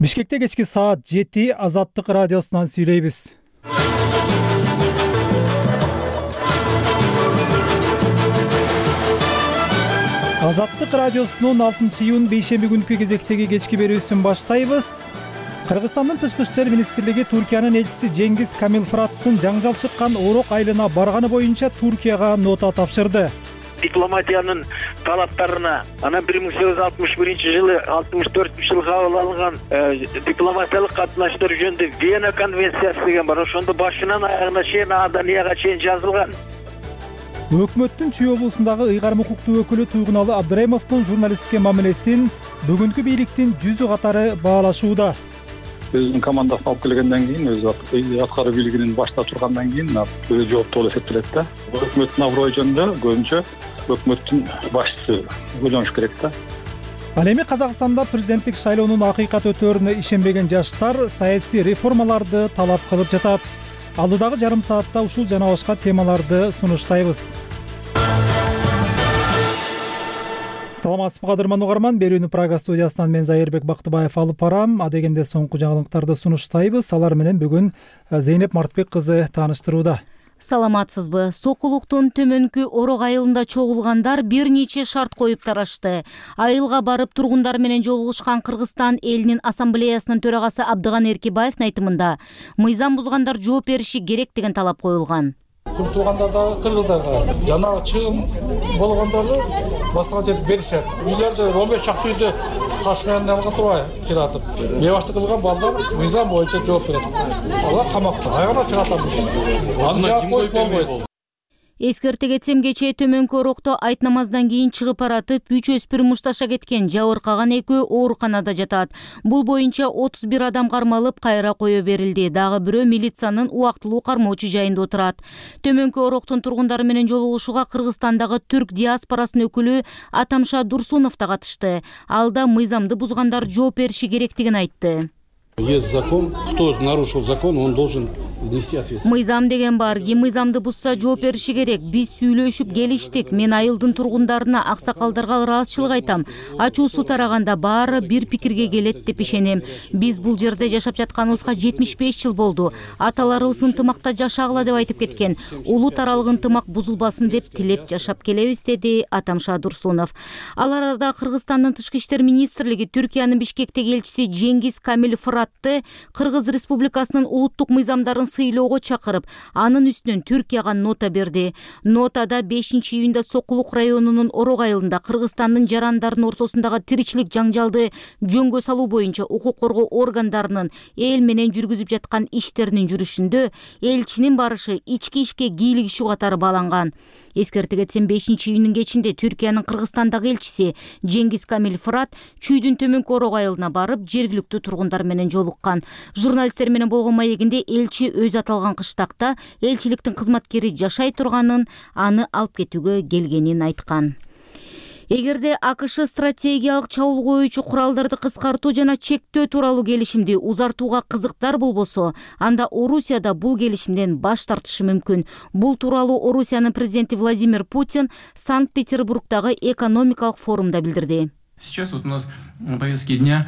Бишкекте кечки саат 7 Азаттык радиосунан сүйлөйбүз. Азаттык радиосунун 6-июнь бейшемби күнкү кезектеги кечки берүүсүн баштайбыз. Кыргызстандын Тышкы иштер министрлиги Туркиянын элчиси Жеңгиз Камилфураттын жаңжал чыккан Орок айылына барганы боюнча Туркияга нота тапшырды. Дипломатиянын талаптарына анан 1861-жылы 64-жылы кабыл алынган дипломатиялык катнаштар жөнүндө Вена конвенциясы деген бар. Ошондо башынан аягына чейин Аданияга чейин жазылган. Өкмөттүн Чүй облусундагы ыйгарым укуктуу өкүлү Туйгуналы Абдыраимовдун журналистке мамилесин бүгүнкү бийликтин жүзү катары баалашууда. Өзүнүн командасын алып келгенден кийин, өз аткаруу бийлигинин башында тургандан кийин өзү жооптуу болуп эсептелет да. Өкмөттүн аброю жөнүндө көбүнчө өкмөттүн башчысы ойлонуш керек да. Ал эми Казакстанда президенттик шайлоонун акыйкат өтөөрүнө ишенбеген жаштар саясий реформаларды талап кылып жатат. Алдыдагы жарым саатта ушул жана башка темаларды сунуштайбыз. Саламатсызбы кадырман угарман, берүүнү Прага студиясынан мен Зайырбек Бактыбаев алып барам. Адегенде соңку жаңылыктарды сунуштайбыз. Алар менен бүгүн Зейнеп Мартбек кызы тааныштырууда. Саламатсызбы. Сокулуктун төмөнкү Орок айылында чогулгандар бир нече шарт коюп тарашты. Айылга барып тургундар менен жолугушкан Кыргызстан элинин ассамблеясынын төрагасы Абдыган Эркебаевдин айтымында мыйзам бузгандар жооп бериши керек деген талап коюлган. Туртулгандардагы кыргыздарга жана чыгым болгондорду башка жерде беришет. Үйлөрдө 15 чакты үйдө таш менен алган турбай киратып, бебаштык кылган балдар мыйзам боюнча жооп берет. Алар камакта айгана чыгатабыз. Аны жаап коюш болбойт. Эскерте кетсем, кечээ төмөнкү Орокто айт намаздан кийин чыгып баратып 3 өспүрүм мушташа кеткен, жабыркаган экөө ооруканада жатат. Бул боюнча 31 адам кармалып, кайра кое берилди. Дагы бирөө милициянын убактылуу кармоочу жайында отурат. Төмөнкү Ороктун тургундары менен жолугушууга Кыргызстандагы түрк диаспорасынын өкүлү Атамша Дурсунов да катышты. Ал да мыйзамды бузгандар жооп бериши керектигин айтты. Есть закон, кто нарушил закон, он должен внести ответственность. Мыйзам деген бар, ким мыйзамды бузса жооп бериши керек. Биз сүйлөшүп келиштик. Мен айылдын тургундарына, аксакалдарга ыраазычылык айтам. Ачуусу тараганда баары бир пикирге келет деп ишенем. Биз бул жерде жашап жатканыбызга 75 жыл болду. Аталарыбыз ынтымакта жашагыла деп айтып кеткен. Улут аралык ынтымак бузулбасын деп тилеп жашап келебиз, деди Атамша Дурсунов. Ал арада Кыргызстандын Тышкы иштер министрлиги Түркиянын Бишкектеги элчиси Жеңгиз Камилфуратты Кыргыз Республикасынын улуттук мыйзамдарын сыйлоого чакырып, анын үстүнөн Түркияга нота берди. Нотада 5-июнда Сокулук районунун Орок айылында Кыргызстандын жарандарынын ортосундагы тиричилик жаңжалды жөнгө салуу боюнча укук коргоо органдарынын эл менен жүргүзүп жаткан иштеринин жүрүшүндө элчинин барышы ички ишке кийлигишүү катары бааланган. Эскерте кетсем, 5-июндун кечинде Түркиянын Кыргызстандагы элчиси Жеңгиз Камилфурат Чүйдүн төмөнкү Орок айылына барып, жергиликтүү тургундар менен жолуккан. Журналисттер менен болгон маегинде элчи өз аталган кыштакта элчиликтин кызматкери жашай турганын, аны алып кетүүгө келгенин айткан. Эгерде АКШ стратегиялык чабуул коюучу куралдарды кыскартуу жана чектөө тууралуу келишимди узартууга кызыктар болбосо, анда Орусия да бул келишимден баш тартышы мүмкүн. Бул тууралуу Орусиянын президенти Владимир Путин Санкт-Петербургдагы экономикалык форумда билдирди. Сейчас вот у нас на повестке дня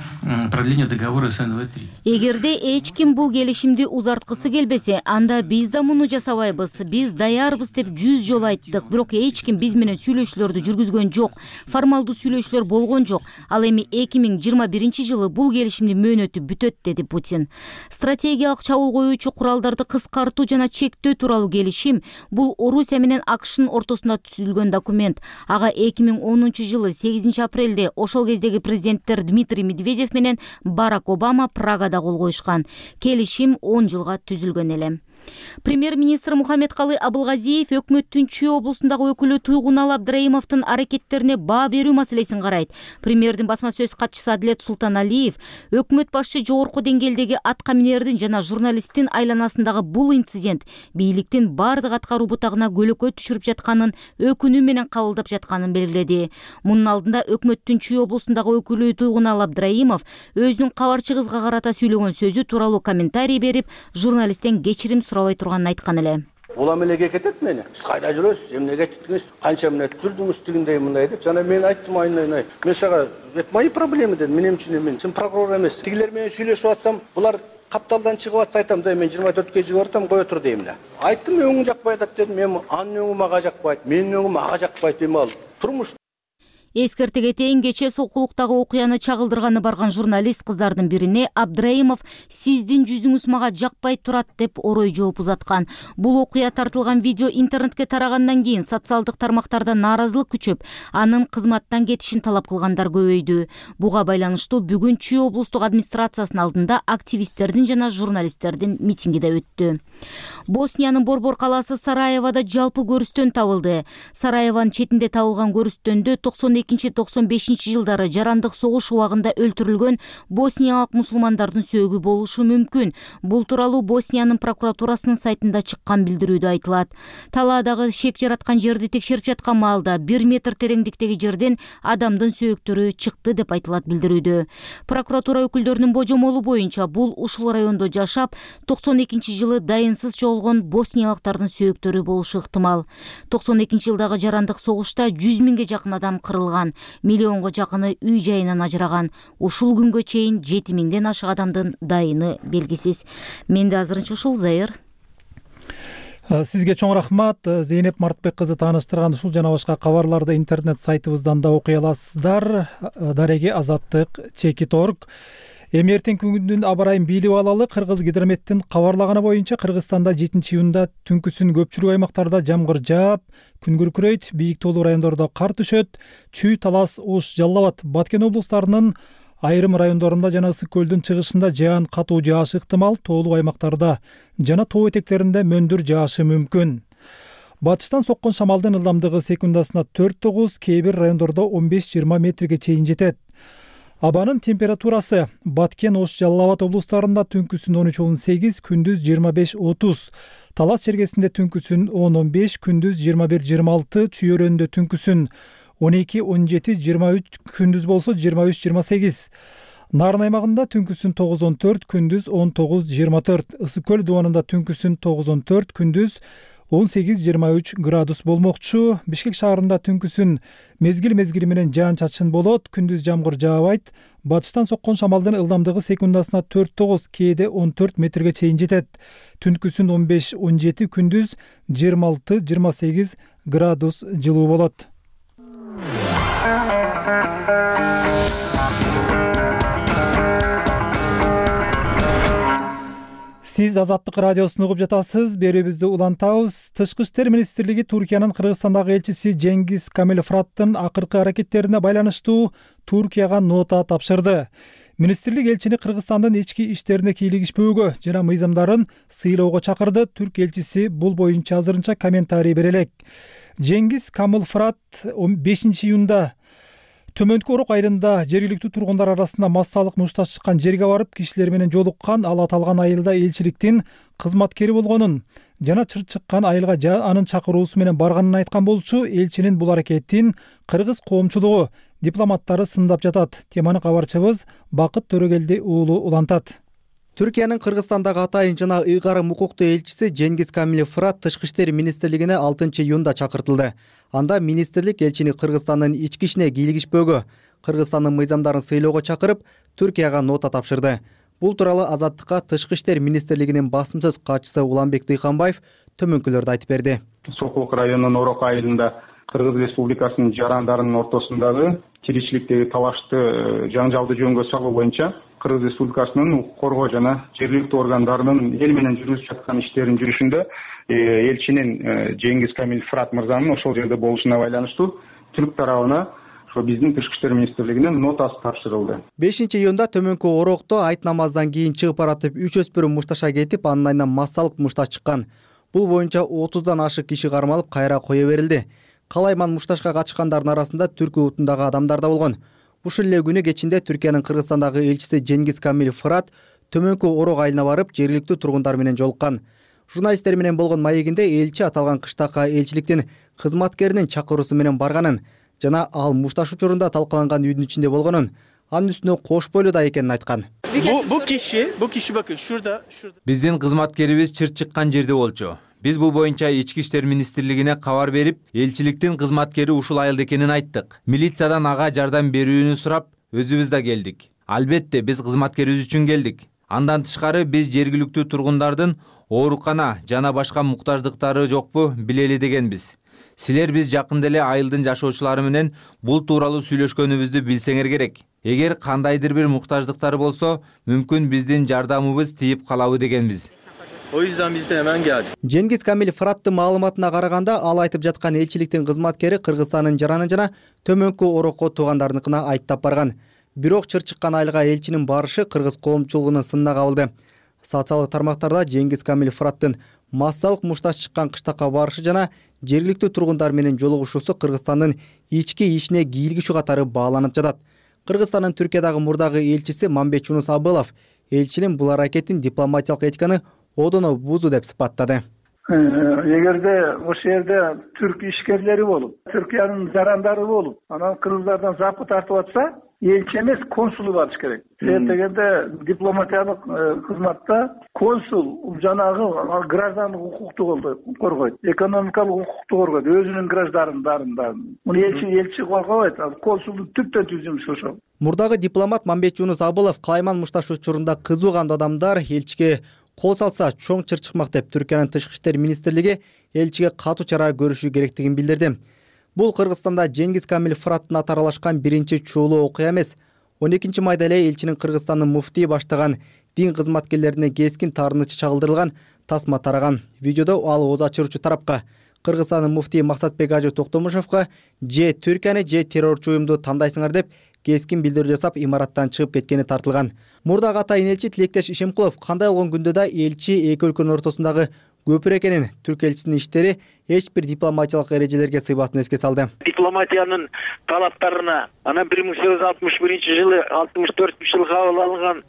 продление договора СНВ-3. Эгерде эч ким бул келишимди узарткысы келбесе, анда биз да муну жасабайбыз, биз даярбыз деп 100 жолу айттык. Бирок эч ким биз менен сүйлөшүүлөрдү жүргүзгөн жок. Формалдуу сүйлөшүүлөр болгон жок. Ал эми 2021-жылы бул келишимдин мөөнөтү бүтөт, деди Путин. Стратегиялык чабуул коюучу куралдарды кыскартуу жана чектөө тууралуу келишим бул Орусия менен АКШнын ортосунда түзүлгөн документ. Ага 2010-жылы 8 апрелде ошол кездеги президенттер Дмитрий Медведев менен Барак Обама Прагада кол коюшкан. Келишим 10 жылга түзүлгөн эле. Премьер-министр Мухаммедкалый Абылгазиев өкмөттүн Чүй облусундагы өкүлү Туйгуналы Абдыраимовдун аракеттерине баа берүү маселесин карайт. Премьердин басма сөз катчысы Адилет Султаналиев өкмөт башчы жогорку деңгээлдеги аткаминердин жана журналисттин айланасындагы бул инцидент бийликтин бардык аткаруу бутагына көлөкө түшүрүп жатканын өкүнүү менен кабылдап жатканын белгиледи. Мунун алдында өкмөттүн Чүй облусундагы өкүлү Туйгуналы Абдыраимов өзүнүн кабарчы кызга карата сүйлөгөн сөзү тууралуу комментарий берип, журналисттен кечирим сурабай турганын айткан эле. улам эле кетет мени. Сиз кайда жүрөсүз? Эмне кетиңиз? Канча мүнөт жүрдүңүз тигиндей мындай деп. Жана мен айттым айнай. Мен сага это мои проблемы дедим. Менин үчүн сен прокурор эмес. Тигилер менен сүйлөшүп атсам, булар капталдан чыгып атса айтам да мен 24 чыгып атам, кое тур дейм да. Айттым өңүң жакпай атат дедим. Мен анын өңү мага жакпайт, менин өңүм ага жакпайт дейм ал. Турмуш. Эскерте кетейин, кече Сокулуктагы окуяны чагылдырганы барган журналист кыздардын бирине Абдраимов сиздин жүзүңүз мага жакпай турат деп орой жооп узаткан. Бул окуя тартылган видео интернетке тарагандан кийин социалдык тармактарда нааразылык күчөп, анын кызматтан кетишин талап кылгандар көбөйдү. Буга байланыштуу бүгүн Чүй облустук администрациясынын алдында активисттердин жана журналисттердин митинги да өттү. Босниянын Борбор калаасы Сараевода жалпы көрүстөн табылды. Сараевонун четинде табылган көрүстөндө 92-95 жылдары жарандык согуш убагында өлтүрүлгөн босниялык мусулмандардын сөөгү болушу мүмкүн. Бул тууралуу Босниянын прокуратурасынын сайтында чыккан билдирүүдө айтылат. Талаадагы шек жараткан жерди текшерип жаткан маалда 1 метр тереңдиктеги жерден адамдын сөөктөрү чыкты деп айтылат билдирүүдө. Прокуратура өкүлдөрүнүн божомолу боюнча бул ушул райондо жашап 92-жылы дайынсыз чогулгон босниялыктардын сөөктөрү болушу ыктымал. 92-жылдагы жарандык согушта 100 миңге жакын адам кырылган, миллионго жакыны үй жайынан ажыраган. Ушул күнгө чейин 7 миңден ашык адамдын дайыны белгисиз. Менде азырынча ушул, Зайыр. Сизге чоң рахмат. Зейнеп Мартбек кызы тааныштырган ушул жана башка кабарларды интернет сайтыбыздан да окуй аласыздар. Дареге Азаттык Чекит.org. Эми эртең күндүн аба ырайын билип алалы. Кыргыз гидрометтин кабарлаганы боюнча Кыргызстанда 7-июнда түнкүсүн көпчүлүк аймактарда жамгыр жаап, күн күркүрөйт, бийик тоолуу райондордо кар түшөт. Чүй, Талас, Ош, Жалал Абад, Баткен облустарынын айрым райондорунда жана Ысык көлдүн чыгышында жаан катуу жаашы ыктымал. Тоолуу аймактарда жана тоо этектеринде мөндүр жаашы мүмкүн. Батыштан соккон шамалдын ылдамдыгы секундасына 4-9, кээ бир райондордо 15-20 метрге чейин жетет. Абанын температурасы Баткен, Ош, Жалал Абад облустарында түнкүсүн 13-18, күндүз 25-30. Талас чергесинде түнкүсүн 10-15, күндүз 21-26, Чүй өрөөнүндө түнкүсүн 12-17, 23, күндүз болсо 23-28. Нарын аймагында түнкүсүн 9-14, күндүз 19-24. Ысык көл дубанында түнкүсүн 9-14, күндүз 18-23 градус болмокчу. Бишкек шаарында түнкүсүн мезгил менен жаан-чачын болот, күндүз жамгыр жаабайт. Батыштан соккон шамалдын ылдамдыгы секундасына 4-9, кээде 14 метрге чейин жетет. Түнкүсүн 15-17, күндүз 26-28 градус жылуу болот. Сиз Азаттык радиосун угуп жатасыз. Берүүбүздү улантабыз. Тышкы иштер министрлиги Туркиянын Кыргызстандагы элчиси Жеңгиз Камилфраттын акыркы аракеттерине байланыштуу Туркияга нота тапшырды. Министрлик элчини Кыргызстандын ички иштерине кийлигишпөөгө жана мыйзамдарын сыйлоого чакырды. Түрк элчиси бул боюнча азырынча комментарий бере элек. Жеңгиз Камилфрат 5-июнда Төмөнкү Орок айылында жергиликтүү тургундар арасында массалык мушташ чыккан жерге барып кишилер менен жолуккан. Ал аталган айылда элчиликтин кызматкери болгонун жана чыр чыккан айылга анын чакыруусу менен барганын айткан болчу. Элчинин бул аракетин кыргыз коомчулугу, дипломаттары сындап жатат. Теманы кабарчыбыз Бакыт Төрөгелди уулу улантат. Түркиянын Кыргызстандагы атайын жана ыйгарым укуктуу элчиси Жеңгиз Камилфрат Тышкы иштер министрлигине 6-июнда чакыртылды. Анда министрлик элчини Кыргызстандын ички ишине кийлигишпөөгө, Кыргызстандын мыйзамдарын сыйлоого чакырып, Түркияга нота тапшырды. Бул тууралуу Азаттыкка Тышкы иштер министрлигинин басым сөз катчысы Уланбек Дыйханбаев төмөнкүлөрдү айтып берди. Сокулук районунун Орок айылында Кыргыз Республикасынын жарандарынын ортосундагы тиричиликтеги талашты жаңжалды жөнгө салуу боюнча Кыргыз Республикасынын укук коргоо жана жергиликтүү органдарынын эл менен жүргүзүп жаткан иштеринин жүрүшүндө элчинин Жеңгиз Камилфрат мырзанын ошол жерде болушуна байланыштуу түрк тарабына биздин Тышкы иштер министрлигине нотасы тапшырылды. 5-июнда Төмөнкү Орокто айт намаздан кийин чыгып баратып 3 өспүрүм мушташа кетип, анын айынан массалык мушташ чыккан. Бул боюнча 30дан ашык киши кармалып, кайра кое берилди. Калайман мушташка катышкандардын арасында түрк улутундагы адамдар да болгон. Ушул эле күнү кечинде Түркиянын Кыргызстандагы элчиси Жеңгиз Камилфрат Төмөнкү Орок айылына барып, жергиликтүү тургундар менен жолуккан. Журналисттер менен болгон маегинде элчи аталган кыштакка элчиликтин кызматкеринин чакыруусу менен барганын жана ал мушташ учурунда талкаланган үйдүн ичинде болгонун, анын үстүнө кош бойлуу да экенин айткан. Bu kişi bakın şurada. Биздин кызматкерибиз чыр чыккан жерде болчу. Биз бул боюнча Ички иштер министрлигине кабар берип, элчиликтин кызматкери ушул айыл экенин айттык. Милициядан ага жардам берүүнү сурап, өзүбүз да келдик. Албетте, биз кызматкерибиз үчүн келдик. Андан тышкары биз жергиликтүү тургундардын оорукана жана башка муктаждыктары жокпу билели дегенбиз. Силер биз жакында эле айылдын жашоочулары менен бул тууралуу сүйлөшкөнүбүздү билсеңер керек. Эгер кандайдыр бир муктаждыктары болсо, мүмкүн биздин жардамыбыз тийип калабы дегенбиз. Жеңгиз Камил Фыраттын маалыматына караганда, ал айтып жаткан элчиликтин кызматкери Кыргызстандын Жараны жана Төмөнкү Орокко туугандарыныкына айттап барган. Бирок чыр чыккан айылга элчинин барышы кыргыз коомчулугунун сынына кабылды. Социалдык тармактарда Жеңгиз Камил Фыраттын массалык мушташ чыккан кыштакка барышы жана жергиликтүү тургундар менен жолугушуусу Кыргызстандын ички ишине кийлигишүү катары бааланып жатат. Кыргызстандын Түркиядагы мурдагы элчиси Мамбет Жунус Абылов элчинин бул аракетин дипломатиялык этиканы одоно бузуу деп сыпаттады. Эгерде ошол жерде түрк ишкерлери болуп, Түркиянын жарандары болуп, анан кыргыздардан запы тартып атса, элчи эмес, консулу барыш керек. Себеп дегенде дипломатиялык кызматта консул жанагы граждандык укукту коргойт, экономикалык укукту коргойт, өзүнүн граждандарын. Муну элчи коргобойт, консулдун түптөн түз жумушу ошол. Мурдагы дипломат Мамбет Жунус Абылов Калайман мушташ учурунда кызуу кандуу адамдар элчиге кол салса чоң чыр чыкмак деп Түркиянын тышкы иштер министрлиги элчиге катуу чара көрүшү керектигин билдирди. Бул Кыргызстанда Жеңгиз Камил Фыраттын аты аралашкан биринчи чуулуу окуя эмес. 12 майда эле элчинин Кыргызстандын муфтии баштаган дин кызматкерлерине кескин таарынычы чагылдырылган тасма тараган. Видеодо ал ооз ачыруучу тарапка Кыргызстандын муфтии Максатбек Ажы Токтомушевго же Түркияны же террорчу уюмду тандайсыңар деп кескин билдирүү жасап имараттан чыгып кеткени тартылган. Мурдагы атайын элчи Тилектеш Ишимкулов кандай болгон күндө да элчи эки өлкөнүн ортосундагы көпүр экенин, түрк элчисинин иштери эч бир дипломатиялык эрежелерге сыйбасын эске салды. Дипломатиянын талаптарына анан 1861-жылы 64-жылы кабыл алынган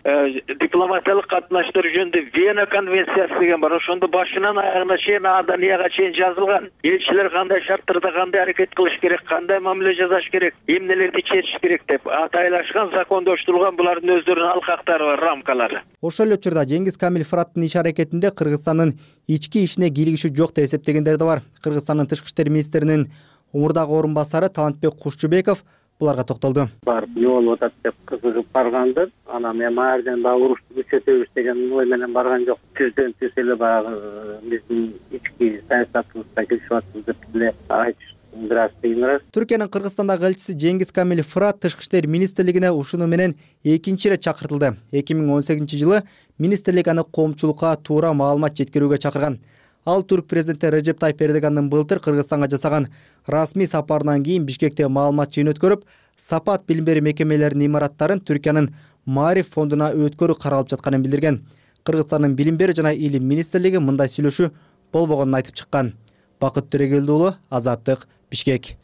дипломатиялык катнаштар жөнүндө Вена конвенциясы деген бар. Ошондо башынан аягына чейин Аданияга чейин жазылган. Элчилер кандай шарттарда кандай аракет кылыш керек, кандай мамиле жасаш керек, эмнелерди чечиш керек деп атайлашкан, закондоштурулган булардын өздөрүнүн алкактары бар, рамкалары. Ошол эле учурда Жеңгиз Камил Фыраттын иш аракетинде Кыргызстандын ички ишине кийлигишүү жок деп эсептегендер да бар. Кыргызстандын тышкы иштер министринин мурдагы орун басары Талантбек Кушчубеков буларга токтолду. Барып эмне болуп атат деп кызыгып баргандыр. Анан мен маярден дагы урушту күчөтөбүз деген ой менен барган жок. Түздөн түз эле баягы биздин ички саясатыбызга киришип атабыз деп эле айтыш бираз кыйыныраак. Түркиянын Кыргызстандагы элчиси Жеңгиз Камил Фырат тышкы иштер министрлигине ушуну менен экинчи ирет чакыртылды. 2018-жылы министрлик аны коомчулукка туура маалымат жеткирүүгө чакырган. Ал түрк президенти Режеп Тайып Эрдогандын былтыр Кыргызстанга жасаган расмий сапарынан кийин Бишкекте маалымат жыйын өткөрүп, сапат билим берүү мекемелеринин имараттарын Түркиянын Маариф фондуна өткөрүү каралып жатканын билдирген. Кыргызстандын билим берүү жана илим министрлиги мындай сүйлөшүү болбогонун айтып чыккан. Бакыт Төрөгелди уулу, Азаттык, Бишкек.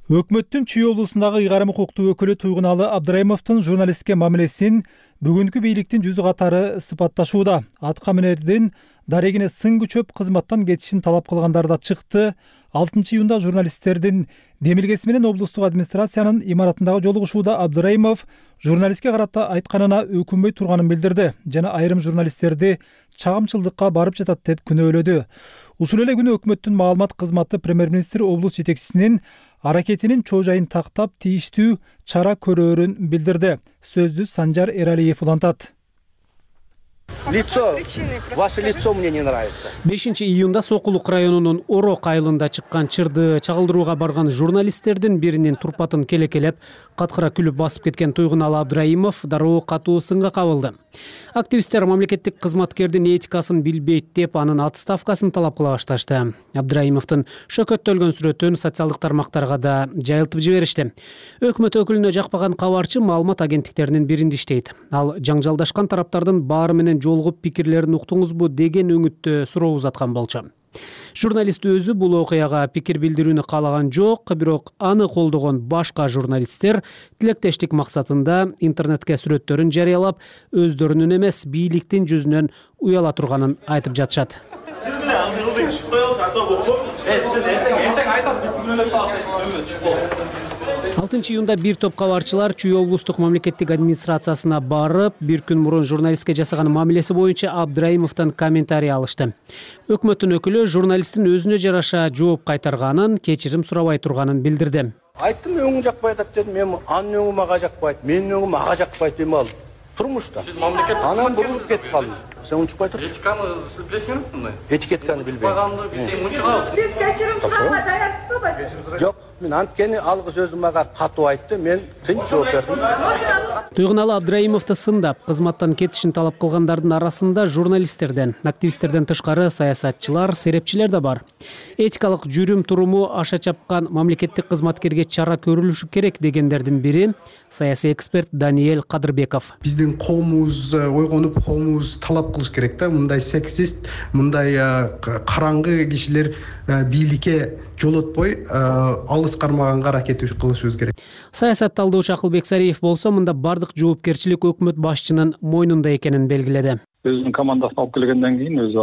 Өкмөттүн Чүй облусундагы ыйгарым укуктуу өкүлү Туйгуналы Абдрайымовдун журналистке мамилесин бүгүнкү бийликтин жүзү катары сыпатташууда. Атка минердин дарегине сын күчөп кызматтан кетишин талап кылгандар да чыкты. 6-июнда журналисттердин демилгеси менен облустук администрациянын имаратындагы жолугушууда Абдрайымов журналистке карата айтканына өкүнбөй турганын билдирди жана айрым журналисттерди чагымчылдыкка барып жатат деп күнөөлөдү. Ушул эле күнү өкмөттүн маалымат кызматы премьер-министр облус жетекчисинин аракетинин чоо жайын тактап тийиштүү чара көрөөрүн билдирди. Сөздү Санжар Эралиев улантат. Ваше лицо мне не нравится. 5-июнда Сокулук районунун Орок айылында чыккан чырды чагылдырууга барган журналисттердин биринин турпатын келекелеп, каткыра күлүп басып кеткен Туйгуналы Абдрайымов дароо катуу сынга кабылды. Активисттер мамлекеттик кызматкердин этикасын билбейт деп анын отставкасын талап кыла башташты. Абдрайымовдун шөкөттөлгөн сүрөтүн социалдык тармактарга да жайылтып жиберишти. Өкмөт өкүлүнө жакпаган кабарчы маалымат агенттиктеринин биринде иштейт. Ал жаңжалдашкан тараптардын баары менен жолугуп пикирлерин уктуңузбу деген өңүттө суроо узаткан болчу. Журналист өзү бул окуяга пикир билдирүүнү каалаган жок, бирок аны колдогон башка журналисттер тилектештик максатында интернетке сүрөттөрүн жарыялап, өздөрүнүн эмес бийликтин жүзүнөн уяла турганын айтып жатышат. июнда бир топ кабарчылар Чүй облустук мамлекеттик администрациясына барып, бир күн мурун журналистке жасаган мамилеси боюнча Абдраимовдон комментарий алышты. Өкмөттүн өкүлү журналисттин өзүнө жараша жооп кайтарганын, кечирим сурабай турганын билдирди. Айттым, өңүң жакпай атат дедим. Мен анын өңү мага жакпайт, менин өңүм ага жакпайт дейм ал. Турмушта. Анан бурулуп кетип калдым. Сен унчукпай турчу. Этиканы сиз билесиңерби мындай? Этикетканы билбейм. Баганды билсең унчугабыз. Сиз кечирим сураганга даярсызбы? Жок, мен анткени алгыс өзү мага катуу айтты, мен тынч жооп бердим. Туйгуналы Абдраимовду сындап, кызматтан кетишин талап кылгандардын арасында журналисттерден, активисттерден тышкары саясатчылар, серепчилер да бар. Этикалык жүрүм туруму аша чапкан мамлекеттик кызматкерге чара көрүлүшү керек дегендердин бири саясий эксперт Даниэль Кадырбеков. Биздин коомубуз ойгонуп, коомубуз талап кылыш керек да, мындай сексист, мындай караңгы кишилер бийликке жолотпой алыс кармаганга аракет кылышыбыз керек. Саясат талдоочу Акылбек Сариев болсо мында бардык жоопкерчилик өкмөт башчынын мойнунда экенин белгиледи. Өзүнүн командасын алып келгенден кийин, өзү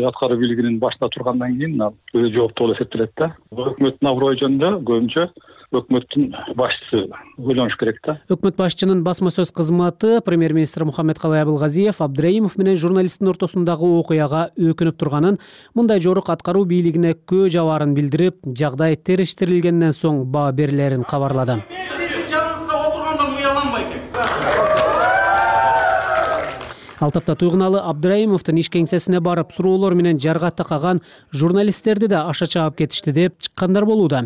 аткаруу бийлигинин башында тургандан кийин өзү жооптуу болуп эсептелет да. Өкмөттүн аброю жөнүндө көбүнчө өкмөттүн башчысы ойлонуш керек да. Өкмөт башчынын басма сөз кызматы премьер-министр Мухаммедкалый Абылгазиев Абдраимов менен журналисттин ортосундагы окуяга өкүнүп турганын, мындай жорук аткаруу бийлигине көө жабаарын билдирип, жагдай териштирилгенден соң баа берилерин кабарлады. Ал тапта Туйгуналы Абдраимовдун иш кеңсесине барып, суроолор менен жарга такаган журналисттерди да аша чаап кетишти деп чыккандар болууда.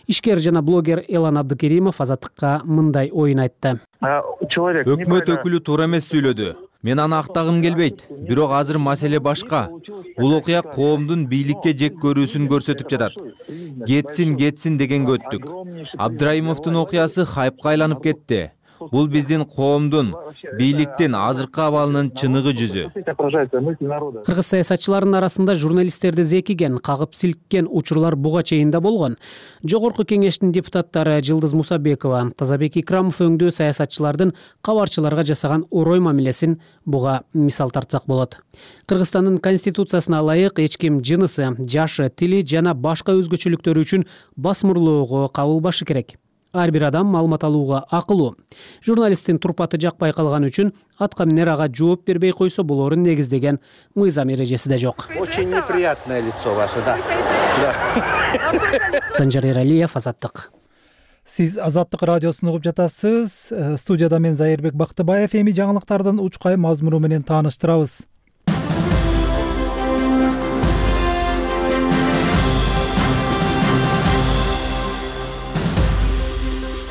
Ишкер жана блогер Элан Абдыкеримов Азаттыкка мындай оюн айтты. Өкмөт өкүлү туура эмес сүйлөдү. Мен аны актагым келбейт. Бирок азыр маселе башка. Бул окуя коомдун бийликке жек көрүүсүн көрсөтүп жатат. Кетсин дегенге өттүк. Абдраимовдун окуясы хайпка айланып кетти. Бул биздин коомдун, бийликтин азыркы абалынын чыныгы жүзү. Кыргыз саясатчыларынын арасында журналисттерди зекиген, кагып силккен учурлар буга чейин да болгон. Жогорку кеңештин депутаттары Жылдыз Мусабекова, Тазабек Икрамов өңдүү саясатчылардын кабарчыларга жасаган орой мамилесин буга мисал тартсак болот. Кыргызстандын конституциясына ылайык эч ким жынысы, жашы, тили жана башка өзгөчөлүктөрү үчүн басмырлоого кабылбашы керек. Ар бир адам маалымат алууга акылуу. Журналисттин турпаты жакпай калган үчүн атка минер ага жооп бербей койсо болорун негиздеген мыйзам эрежеси да жок. Очень неприятное лицо ваше, да. Санжар Эралиев, Азаттык. Сиз Азаттык радиосун угуп жатасыз. Студияда мен Зайырбек Бактыбаев. Эми жаңылыктардын учкай мазмуну менен тааныштырабыз.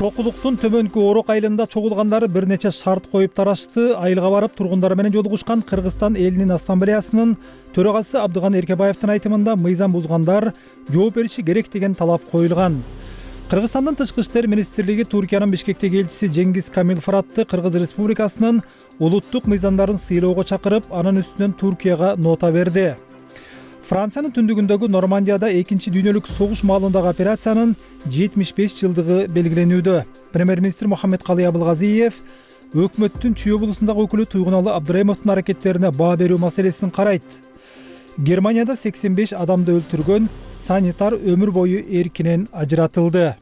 Сокулуктун Төмөнкү Орок айылында чогулгандары бир нече шарт коюп тарашты. Айылга барып тургундар менен жолугушкан Кыргызстан элинин ассамблеясынын төрагасы Абдыган Эркебаевдин айтымында мыйзам бузгандар жооп бериши керек деген талап коюлган. Кыргызстандын Тышкы иштер министрлиги Туркиянын Бишкектеги элчиси Жеңгиз Камил Фыратты Кыргыз Республикасынын улуттук мыйзамдарын сыйлоого чакырып, анын үстүнөн Туркияга нота берди. Франциянын түндүгүндөгү Нормандияда 2 дүйнөлүк согуш маалындагы операциянын 75 жылдыгы белгиленүүдө. Премьер-министр Мухаммедкалый Абылгазиев өкмөттүн Чүй облусундагы өкүлү Туйгуналы Абдраимовдун аракеттерине баа берүү маселесин карайт. Германияда 85 адамды өлтүргөн санитар өмүр бою эркинен ажыратылды.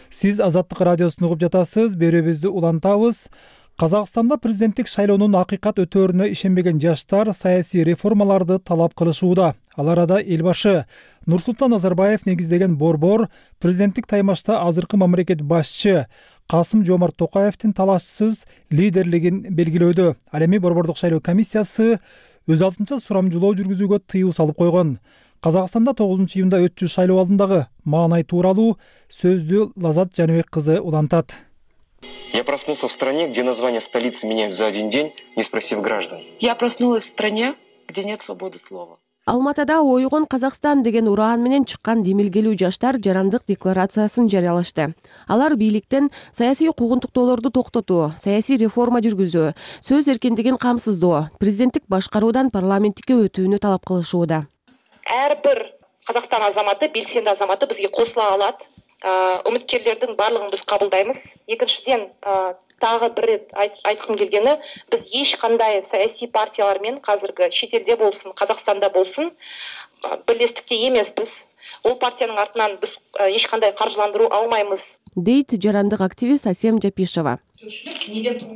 Сиз Азаттык радиосун угуп жатасыз. Берүүбүздү улантабыз. Казакстанда президенттик шайлоонун акыйкат өтөөрүнө ишенбеген жаштар саясий реформаларды талап кылышууда. Ал арада эл башы Нурсултан Назарбаев негиздеген борбор президенттик таймашта азыркы мамлекет башчы Касым-Жомарт Токаевдин талашсыз лидерлигин белгилөөдө. Ал эми борбордук шайлоо комиссиясы өз алдынча сурамжылоо жүргүзүүгө тыюу салып койгон. Казакстанда 9 июнда өтчү шайлоо алдындагы маанай тууралуу сөздү Лазат Жаныбек кызы улантат. Я проснулся в стране, где название столицы меняют за один день, не спросив граждан. Я проснулась в стране, где нет свободы слова. Алматыда ойгон Казакстан деген ураан менен чыккан демилгелүү жаштар жарандык декларациясын жарыялашты. Алар бийликтен саясий куугунтуктоолорду токтотуу, саясий реформа жүргүзүү, сөз эркиндигин камсыздоо, президенттик башкаруудан парламенттикке өтүүнү талап кылышууда. Ар бир Казакстан азаматы, белсенди азаматы бизге косула алат. үміткерлердің барлығын біз қабылдаймыз. Екіншіден, тағы бір рет айтқым келгені, біз ешқандай саяси партиялармен қазіргі шетелде болсын, Қазақстанда болсын, бірлестікте емеспіз. Ол партияның артынан біз ешқандай қаржыландыру алмаймыз, дейт жарандык активист Асем Жапишева.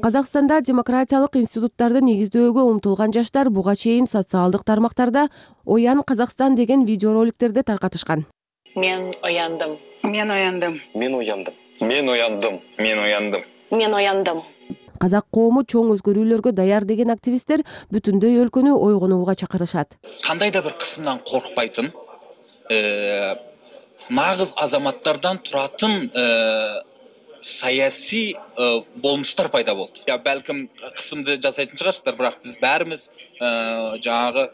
Казакстанда демократиялык институттарды негиздөөгө умтулган жаштар буга чейин социалдык тармактарда «Оян Казакстан» деген видеороликтерди таркатышкан. Мен ояндым. Мен ояндым. Мен ояндым. Мен ояндым. Мен ояндым. Мен ояндым. Казак коому чоң өзгөрүүлөргө даяр деген активисттер бүтүндөй өлкөнү ойгонууга чакырышат. Кандай да бир кысымдан коркпайтын, нагыз азаматтардан туратын саясий болмуштар пайда болду. Я балким кысымды жасайтын чыгарсыздар, бирок биз баарыбыз жаңагы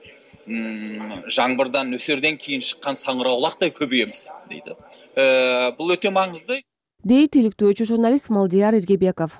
жаңбырдан нөсөрдөн кийин чыккан саңыраулагдай көбөйөбүз дейт. Бул өтө маңызды, дейт иликтөөчү журналист Малдияр Эргебеков.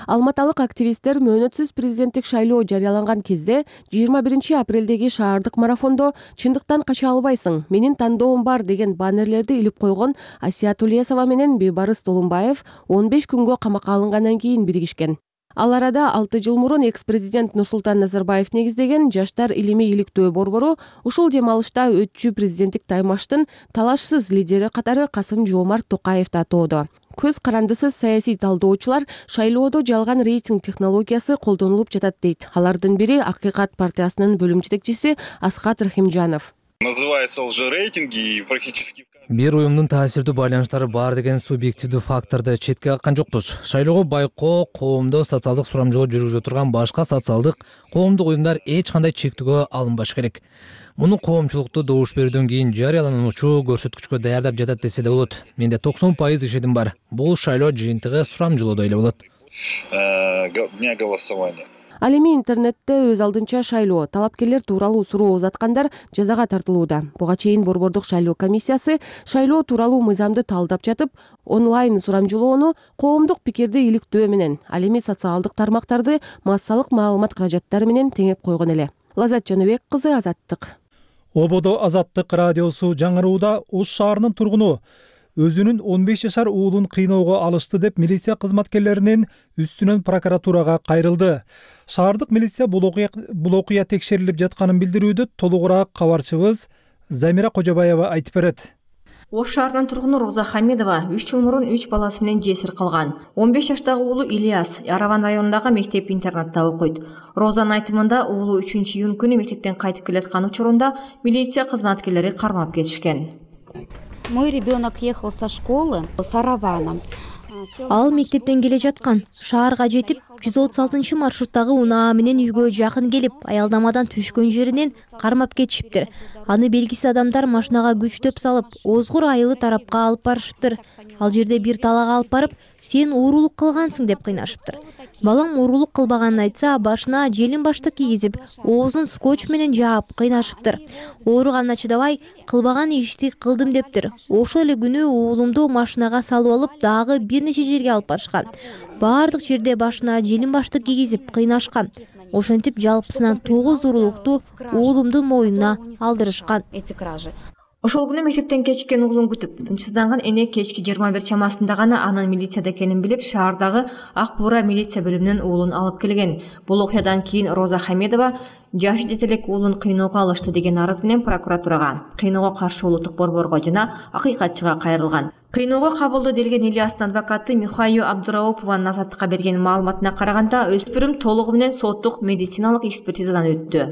Алматалык активисттер мөөнөтсүз президенттик шайлоо жарыяланган кезде 21 апрелдеги шаардык марафондо «Чындыктан кача албайсың, менин тандоом бар» деген баннерлерди илип койгон Асия Тулесова менен Бейбарыс Толумбаев 15 күнгө камакка алынгандан кийин биригишкен. Ал арада 6 жыл мурун экс-президент Нурсултан Назарбаев негиздеген Жаштар илимий иликтөө борбору ушул дем алышта өтчү президенттик таймаштын талашсыз лидери катары Касым-Жомарт Токаевди атоодо. Көз карандысыз саясий талдоочулар шайлоодо жалган рейтинг технологиясы колдонулуп жатат дейт. Алардын бири Акыйкат партиясынын бөлүм жетекчиси Асхат Рахимжанов. Называется лжерейтинги и практически бир уюмдун таасирдүү байланыштары бар деген субъективдүү факторду четке каккан жокпуз. Шайлоого байкоо, коомдо социалдык сурамжылоо жүргүзө турган башка социалдык коомдук уюмдар эч кандай чектөөгө алынбаш керек. Муну коомчулукту добуш берүүдөн кийин жарыялануучу көрсөткүчкө даярдап жатат десе да болот. Менде 90% ишеним бар. Бул шайлоо жыйынтыгы сурамжылоодо эле болот. Дня голосования. Ал эми интернетте өз алдынча шайлоо талапкерлер тууралуу суроо узаткандар жазага тартылууда. Буга чейин борбордук шайлоо комиссиясы шайлоо тууралуу мыйзамды талдап жатып, онлайн сурамжылоону коомдук пикирди иликтөө менен, ал эми социалдык тармактарды массалык маалымат каражаттары менен теңеп койгон эле. Лазат Жаныбек кызы, Азаттык. Ободо Азаттык радиосу жаңырууда Ош шаарынын тургуну өзүнүн 15 жашар уулун кыйноого алышты деп милиция кызматкерлеринин үстүнөн прокуратурага кайрылды. Шаардык милиция бул окуя текшерилип жатканын билдирүүдө толугураак кабарчыбыз Замира Кожобаева айтып берет. Ош шаарынын тургуну Роза Хамидова 3 жыл мурун 3 баласы менен жесир калган. 15 жаштагы уулу Ильяс Яраван районундагы мектеп-интернатта окуйт. Розанын айтымында уулу 3-июнь күнү мектептен кайтып келаткан учурунда милиция кызматкерлери кармап кетишкен. Мой ребенок ехал со школы с Араваном. Ал мектептен келе жаткан. Шаарга жетип 136 маршруттагы унаа менен үйгө жакын келип, аялдамадан түшкөн жеринен кармап кетишиптир. Аны белгисиз адамдар машинага күчтөп салып, озгур айылы тарапка алып барышыптыр. Ал жерде бир талага алып барып, сен уурулук кылгансың деп кыйнашыптыр. Балам уурулук кылбаганын айтса, башына желин баштык кийгизип, оозун скотч менен жаап кыйнашыптыр. Ооруганына чыдабай, кылбаган ишти кылдым дептир. Ошол эле күнү уулумду машинага салып алып, дагы бир нече жерге алып барышкан. Баардык жерде башына желин баштык кийгизип кыйнашкан. Ошентип жалпысынан 9 уурулукту уулумдун мойнуна алдырышкан. Ошол күнү мектептен кечиккен уулун күтүп, тынчсызданган эне кечки 21 чамасында гана анын милицияда экенин билип, шаардагы Ак Буура милиция бөлүмүнөн уулун алып келген. Бул окуядан кийин Роза Хамидова жашы жете элек уулун кыйноого алышты деген арыз менен прокуратурага, кыйноого каршы улуттук борборго жана акыйкатчыга кайрылган. Кыйноого кабылды делген Ильястын адвокаты Михайо Абдураупованын Азаттыкка берген маалыматына караганда, өспүрүм толугу менен соттук медициналык экспертизадан өттү.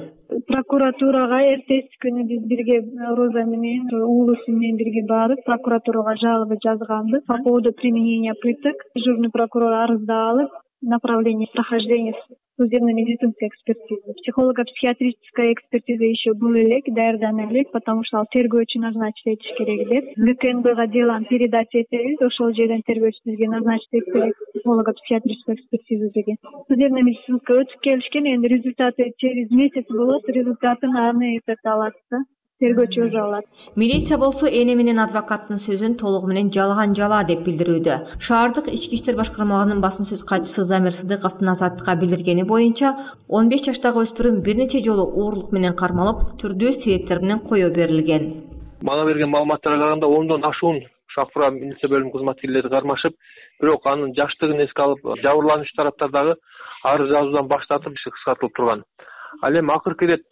Прокуратурага эртеси күнү биз бирге Роза менен уулусу менен бирге барып прокуратурага жалоба жазганбыз по поводу применения пыток. Дежурный прокурор арызды алып, направление прохождения судебно-медицинской экспертизы. Психолого-психиатрическая экспертиза еще был элек, даярдана элек, потому что ал тергөөчү назначить этиш керек деп. ГКНБга делону передать этебиз, ошол жерден тергөөчү бизге назначить этип берет психолого-психиатрическую экспертизу деген. Судебно-медицинская өтүп келишкен, энди результаты через месяц болот, результатын аны алат да. Тергөөчү өзү алат. Милиция болсо эне менен адвокаттын сөзүн толугу менен жалган жала деп билдирүүдө. Шаардык ички иштер башкармалыгынын басма сөз катчысы Замир Сыдыковдун Азаттыкка билдиргени боюнча, 15 жаштагы өспүрүм бир нече жолу оорлук менен кармалып, түрдүү себептер менен коё берилген. Мага берген маалыматтарга караганда 10дон ашуун Акбура милиция бөлүмүнүн кызматкерлери кармашып, бирок анын жаштыгын эске алып, жабырлануучу тараптар дагы арыз жазуудан баш тартып, иши кыскартылып турган. Ал эми акыркы ирет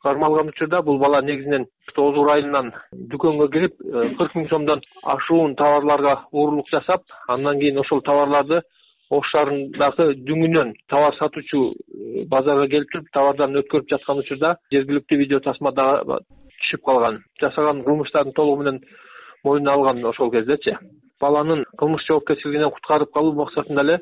кармалган учурда бул бала негизинен Оозур айылынан дүкөнгө кирип 40 000 сомдон ашуун товарларга уурулук жасап, андан кийин ошол товарларды Ош шаарындагы дүңүнөн товар сатуучу базарга келип туруп, товардан өткөрүп жаткан учурда жергиликтүү видео тасмада түшүп калган. Жасаган кылмыштарын толугу менен мойнуна алган ошол кездечи. Баланын кылмыш жоопкерчилигинен куткарып калуу максатында эле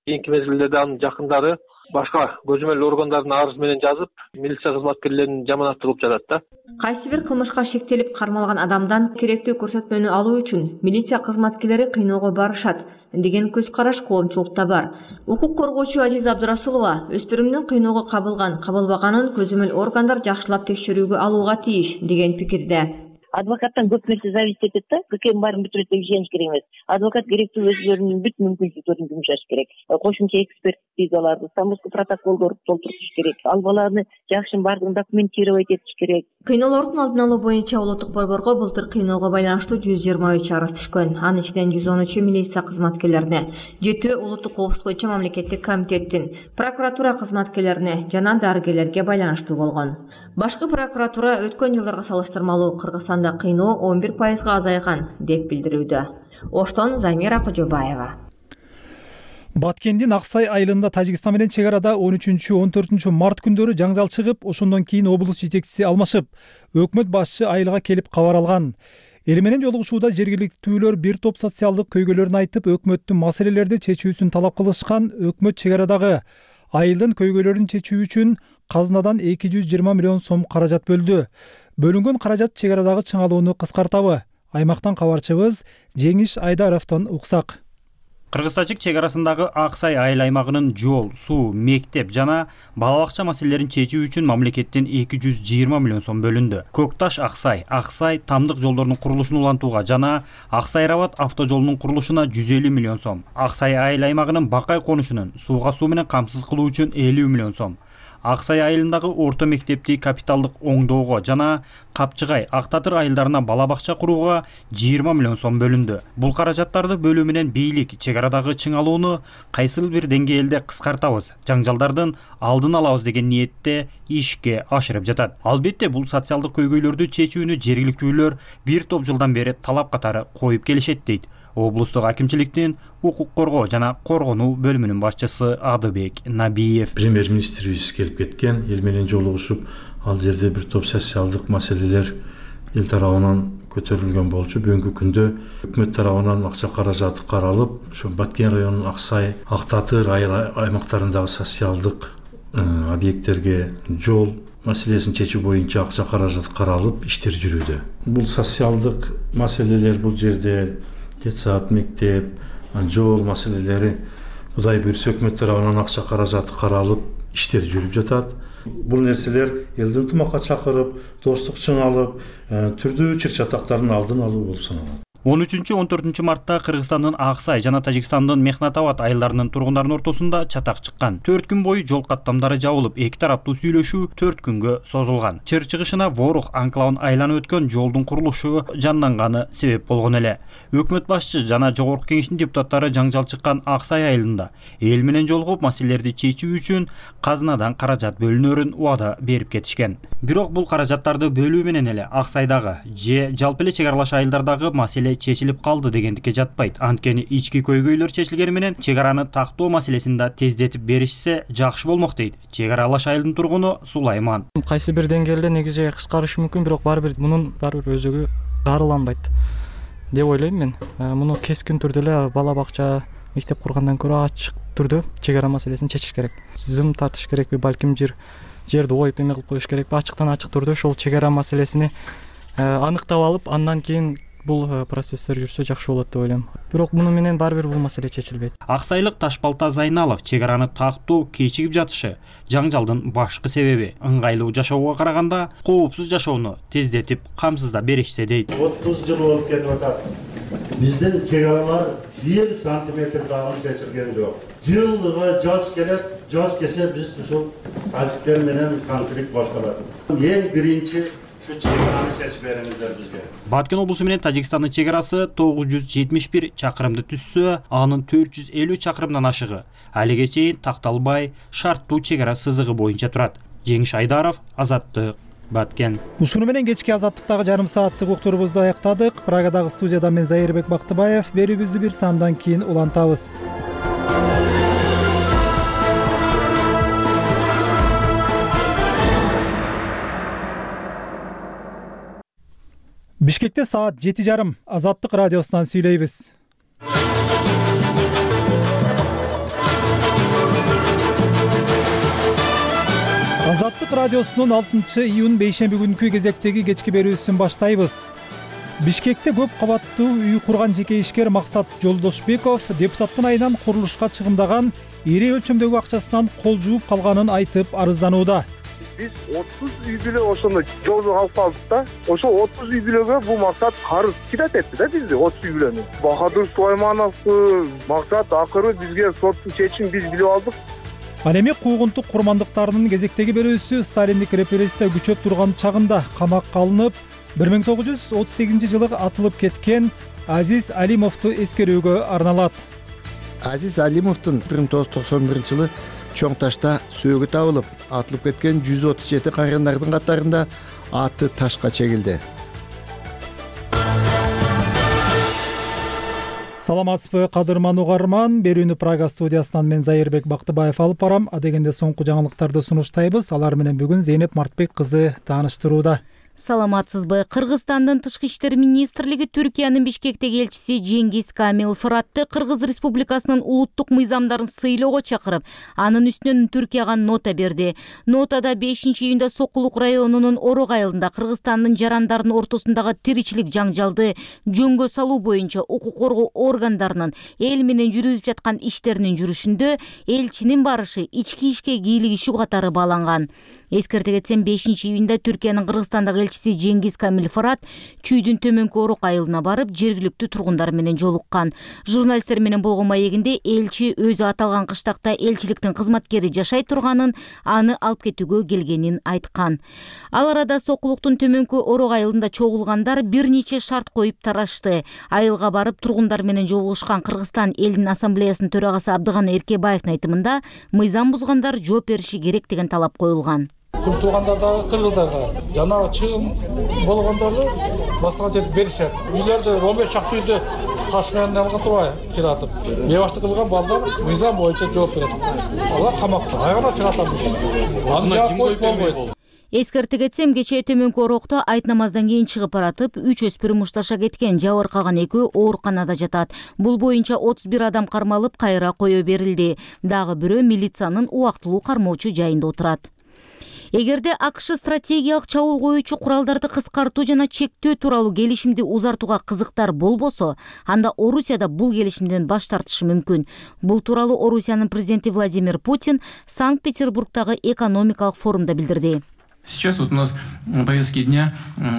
кийинки мезгилдерде анын жакындары башка көзөмөл органдарына арыз менен жазып, милиция кызматкерлерин жаманатталып жатат да. Кайсы бир кылмышка шектелип кармалган адамдан керектүү көрсөтмөнү алуу үчүн милиция кызматкерлери кыйноого барышат деген көз караш коомчулукта бар. Укук коргоочу Азиза Абдурасулова өспүрүмдүн кыйноого кабылбаганын көзөмөл органдар жакшылап текшерүүгө алууга тийиш деген пикирде. Адвокаттан көп нерсе зависит этет да. ККМ баарын бүтүрөт деп ишениш керек эмес. Адвокат керектүү өзлөрүнүн бүт мүмкүнчүлүктөрүн жумшаш керек. Кошумча экспертизаларды, стамбулский протоколдорду толтуртуш керек. Ал баланы жакшы баардыгын документировать этиш керек. Кыйноолордун алдын алуу боюнча улуттук борборго былтыр кыйноого байланыштуу 123 арыз түшкөн. Анын ичинен 113 милиция кызматкерлерине, 7 улуттук коопсуздук боюнча мамлекеттик комитеттин, прокуратура кызматкерлерине жана дарыгерлерге байланыштуу болгон. Башкы прокуратура өткөн жылдарга салыштырмалуу Кыргызстанда кыйноо 11% азайган деп билдирүүдө. Оштон Замира Кожобаева. Баткендин Аксай айылында Тажикстан менен чек арада 13-14 март күндөрү жаңжал чыгып, ошондон кийин облус жетекчиси алмашып, өкмөт башчы айылга келип кабар алган. Эл менен жолугушууда жергиликтүүлөр бир топ социалдык көйгөйлөрүн айтып, өкмөттүн маселелерди чечүүсүн талап кылышкан. Өкмөт чек арадагы айылдын көйгөйлөрүн чечүү үчүн казынадан 220 миллион сом каражат бөлдү. Бөлүнгөн каражат чек арадагы чыңалууну кыскартабы? Аймактан кабарчыбыз Жеңиш Айдаровдон уксак. Кыргыз-тажик чек арасындагы Аксай айыл аймагынын жол, суу, мектеп жана бала бакча маселелерин чечүү үчүн мамлекеттен 220 миллион сом бөлүндү. Көкташ Аксай тамдык жолдордун курулушун улантууга жана Аксай-Рабат автожолунун курулушуна 150 миллион сом. Аксай айыл аймагынын Бакай конушунун сууга суу менен камсыз кылуу үчүн 50 миллион сом. Аксай айылындагы орто мектепти капиталдык оңдоого жана Капчыгай, Актатыр айылдарына бала бакча курууга 20 миллион сом бөлүндү. Бул каражаттарды бөлүү менен бийлик чек арадагы чыңалууну кайсыл бир деңгээлде кыскартабыз, жаңжалдардын алдын алабыз деген ниетте ишке ашырып жатат. Албетте бул социалдык көйгөйлөрдү чечүүнү жергиликтүүлөр бир топ жылдан бери талап катары коюп келишет дейт облустук акимчиликтин укук коргоо жана коргонуу бөлүмүнүн башчысы Адыбек Набиев. Премьер-министрибиз келип кеткен, эл менен жолугушуп, ал жерде бир топ социалдык маселелер эл тарабынан көтөрүлгөн болчу. Бүгүнкү күндө өкмөт тарабынан акча каражаты каралып, ошо Баткен районунун Аксай, Актатыр аймактарындагы социалдык объекттерге жол маселесин чечүү боюнча акча каражаты каралып, иштер жүрүүдө. Бул социалдык маселелер бул жерде детсад, мектеп, жол маселелери Кудай буйрса өкмөт тарабынан акча каражаты каралып, иштер жүрүп жатат. Бул нерселер элди ынтымакка чакырып, достук чыңалып, түрдүү чыр-чатактардын алдын алуу болуп саналат. 13-14 мартта Кыргызстандын Аксай жана Тажикстандын Мехнатабад айылдарынын тургундарынын ортосунда чатак чыккан. 4 күн бою жол каттамдары жабылып, эки тараптуу сүйлөшүү 4 күнгө созулган. Чыр чыгышына Ворух анклавын айланып өткөн жолдун курулушу жанданганы себеп болгон эле. Өкмөт башчы жана жогорку кеңештин депутаттары жаңжал чыккан Аксай айылында эл менен жолугуп маселелерди чечүү үчүн казынадан каражат бөлүнөрүн убада берип кетишкен. Бирок бул каражаттарды бөлүү менен эле Аксайдагы же жалпы эле чек аралаш айылдардагы маселе чечилип калды дегендикке жатпайт. Анткени ички көйгөйлөр чечилгени менен чек араны тактоо маселесин да тездетип беришсе жакшы болмок дейт чек аралаш айылдын тургуну Сулайман. Кайсы бир деңгээлде негизи кыскарышы мүмкүн, бирок мунун баары өзөгү дарыланбайт деп ойлойм мен. Муну кескин түрдө эле бала бакча, мектеп кургандан көрө ачык түрдө чек ара маселесин чечиш керек. Зым тартыш керекпи, балким жерди ойуп эме кылып коюш керекпи, ачыктан ачык түрдө ошол чек ара маселесини аныктап алып, андан кийин бул процесстер жүрсө жакшы болот деп ойлойм. Бирок муну менен баары бир бул маселе чечилбейт. Аксайлык Ташбалта Зайналов чек араны тактоо кечигип жатышы жаңжалдын башкы себеби. Ыңгайлуу жашоого караганда коопсуз жашоону тездетип камсыздап беришсе дейт. 30 жыл болуп кетип атат. Биздин чек аралар 1 сантиметр дагы чечилген жок. Жылдыгы жаз келет, жаз келсе биз ушул тажиктер менен конфликт башталат. Эң биринчи Şu çevreni seçip verenizler bizge. Баткен облусу менен Тажикстандын чек арасы 971 чакырымды түзсө, анын 450 чакырымдан ашыгы алиге чейин такталбай шарттуу чек ара сызыгы боюнча турат. Жеңиш Айдаров, Азаттык, Баткен. Ушуну менен кечки азаттыктагы жарым сааттык уктурубузду аяктадык. Прагадагы студияда мен Зайырбек Бактыбаев. Берүүбүздү бир саамдан кийин улантабыз. Бишкекте саат 7:30 Азаттык радиосунан сүйлөйбүз. Азаттык радиосунун 6-июнь бейшемби күнкү кезектеги кечки берүүсүн баштайбыз. Бишкекте көп кабаттуу үй курган жеке ишкер Максат Жолдошбеков депутаттын айынан курулушка чыгымдаган ири өлчөмдөгү акчасынан кол жууп калганын айтып арызданууда. Биз 30 үй бүлө ошондо жолдо алып калдык да. Ошо 30 үй бүлөгө бул Максат карыз кирет этти да бизди 30 үй бүлөнү. Бахадыр Сулаймановду Максат акыры бизге соттун чечимин биз билип алдык. Ал эми куугунтук курмандыктарынын кезектеги берүүсү Сталиндик репрессия күчөп турган чагында камакка алынып, 1938-жылы атылып кеткен Азиз Алимовду эскерүүгө арналат. Азиз Алимовдун 1991-жылы Чоң Ташта сөөгү табылып, атылып кеткен 137 кайрандардын катарында аты ташка чегилди. Саламатсызбы, кадырман угарман. Берүүнү Прага студиясынан мен Зайырбек Бактыбаев алып барам. Адегенде соңку жаңылыктарды сунуштайбыз. Алар менен бүгүн Зейнеп Мартбек кызы тааныштырууда. Саламатсызбы. Кыргызстандын тышкы иштер министрлиги Түркиянын Бишкектеги элчиси Жеңгиз Камил Фыратты Кыргыз Республикасынын улуттук мыйзамдарын сыйлоого чакырып, анын үстүнөн Түркияга нота берди. Нотада 5-июнда Сокулук районунун Орок айылында Кыргызстандын жарандардын ортосундагы тиричилик жаңжалды жөнгө салуу боюнча укук коргоо органдарынын эл менен жүргүзүп жаткан иштеринин жүрүшүндө элчинин барышы ички ишке кийлигишүү катары бааланган. Эскерте кетсем, 5-июнда Түркиянын Кыргызстандагы элчиси Жеңгиз Камил Фырат Чүйдүн төмөнкү Орок айылына барып, жергиликтүү тургундар менен жолуккан. Журналисттер менен болгон маегинде элчи өзү аталган кыштакта элчиликтин кызматкери жашай турганын, аны алып кетүүгө келгенин айткан. Ал арада Сокулуктун төмөнкү Орок айылында чогулгандар бир нече шарт коюп тарашты. Айылга барып тургундар менен жолугушкан Кыргызстан элдин ассамблеясынын төрагасы Абдыганы Эркебаевдин айтымында, мыйзам бузгандар жооп бериши керек деген талап коюлган. Тургандардагы кыргыздарга жана чыгым болгондорду башка жетип беришет. Үйлөрдө 15 чакты үйдө таш менен алган турбай киратып. Бебашты кылган балдар мыйзам боюнча жооп берет. Алар камакта. Айгана чыгатабыз. Аны жаап коюш болбойт. Эскерте кетсем, кечээ төмөнкү Орокто айт намаздан кийин чыгып баратып, 3 өспүрүм мушташа кеткен, жабыр калган 2 ооруканада жатат. Бул боюнча 31 адам кармалып, кайра кое берилди. Дагы бирөө милициянын убактылуу кармоочу жайында отурат. Эгерде АКШ стратегиялык чабуул коюучу куралдарды кыскартуу жана чектөө тууралуу келишимди узартууга кызыктар болбосо, анда Орусияда бул келишимден баш тартышы мүмкүн. Бул тууралуу Орусиянын президенти Владимир Путин Санкт-Петербургдагы экономикалык форумда билдирди. Сейчас вот у нас повестки дня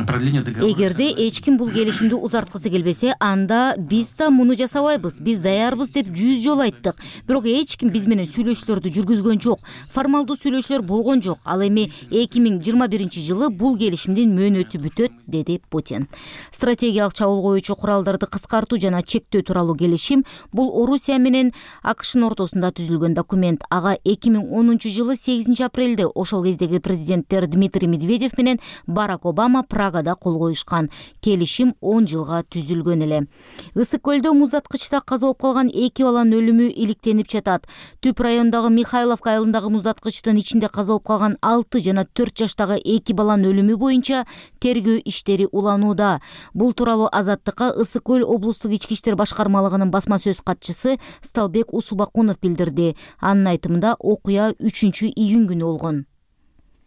продление договора. Эгерде эч ким бул келишимди узарткысы келбесе, анда биз да муну жасабайбыз, биз даярбыз деп 100 жолу айттык. Бирок эч ким биз менен сүйлөшүүлөрдү жүргүзгөн жок. Формалдуу сүйлөшүүлөр болгон жок. Ал эми 2021-жылы бул келишимдин мөөнөтү бүтөт, деди Путин. Стратегиялык чабуул коюучу куралдарды кыскартуу жана чектөө тууралуу келишим бул Орусия менен АКШнын ортосунда түзүлгөн документ. Ага 2010-жылы 8-апрелде ошол кездеги президенттер Дмитрий Медведев менен Барак Обама Прагада кол коюшкан. Келишим 10 жылга түзүлгөн эле. Ысык көлдө муздаткычта каза болуп калган 2 баланын өлүмү иликтенип жатат. Түп райондогу Михайловка айылындагы муздаткычтын ичинде каза болуп калган 6 жана 4 жаштагы 2 баланын өлүмү боюнча тергөө иштери уланууда. Бул тууралуу Азаттыкка Ысык көл облустук ички иштер башкармалыгынын басма сөз катчысы Сталбек Усубакунов билдирди. Анын айтымында окуя 3-июнь күнү болгон.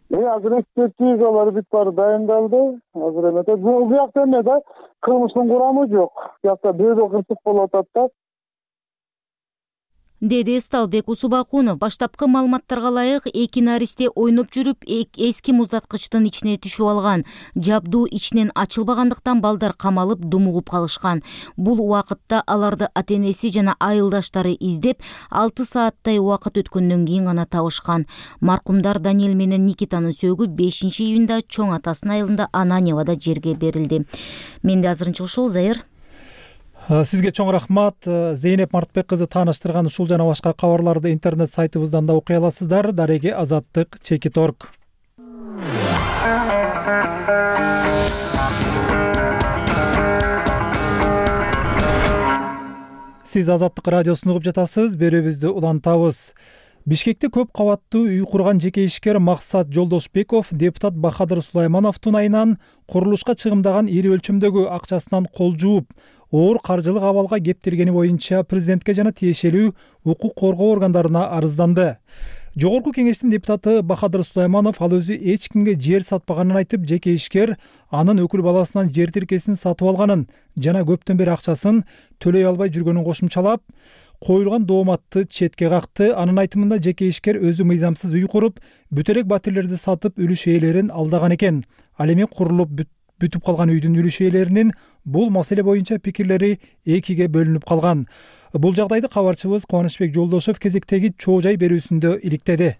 Азыр экспертизалар бүт баары дайындалды. Азыр эмете бул жакта эмеде кылмыштын курамы жок. Жакта бирөө кырсык болуп атат да. деди Сталбек Усубакунов. Баштапкы маалыматтарга ылайык, эки наристе ойноп жүрүп эски муздаткычтын ичине түшүп алган. Жабдуу ичинен ачылбагандыктан балдар камалып думугуп калышкан. Бул убакытта аларды ата-энеси жана айылдаштары издеп 6 сааттай убакыт өткөндөн кийин гана табышкан. Маркумдар Даниэль менен Никитанын сөөгү 5-июнда чоң атасынын айылында Ананьевада жерге берилди. Менде азырынча ушул. Зайыр. Сизге чоң рахмат. Зейнеп Мартбек кызы тааныштырган ушул жана башка кабарларды интернет сайтыбыздан да окуй аласыздар. Дареги Азаттык _. Сиз Азаттык радиосун угуп жатасыз. Берүүбүздү улантабыз. Бишкекте көп кабаттуу үй курган жеке ишкер Максат Жолдошбеков депутат Бахадыр Сулаймановдун айынан курулушка чыгымдаган ири өлчөмдөгү акчасынан кол жууп, оор каржылык абалга кептиргени боюнча президентке жана тиешелүү укук коргоо органдарына арызданды. Жогорку кеңештин депутаты Бахадыр Сулайманов ал өзү эч кимге жер сатпаганын айтып, жеке ишкер анын өкүл баласынан жер тиркесин сатып алганын жана көптөн бери акчасын төлөй албай жүргөнүн кошумчалап, коюлган дооматты четке какты. Анын айтымында жеке ишкер өзү мыйзамсыз үй куруп, бүт элек батирлерди сатып, үлүш ээлерин алдаган экен. Ал эми курулуп бүтүп калган үйдүн үлүш ээлеринин бул маселе боюнча пикирлери экиге бөлүнүп калган. Бул жагдайды кабарчыбыз Кубанычбек Жолдошов кезектеги чоо жай берүүсүндө иликтеди.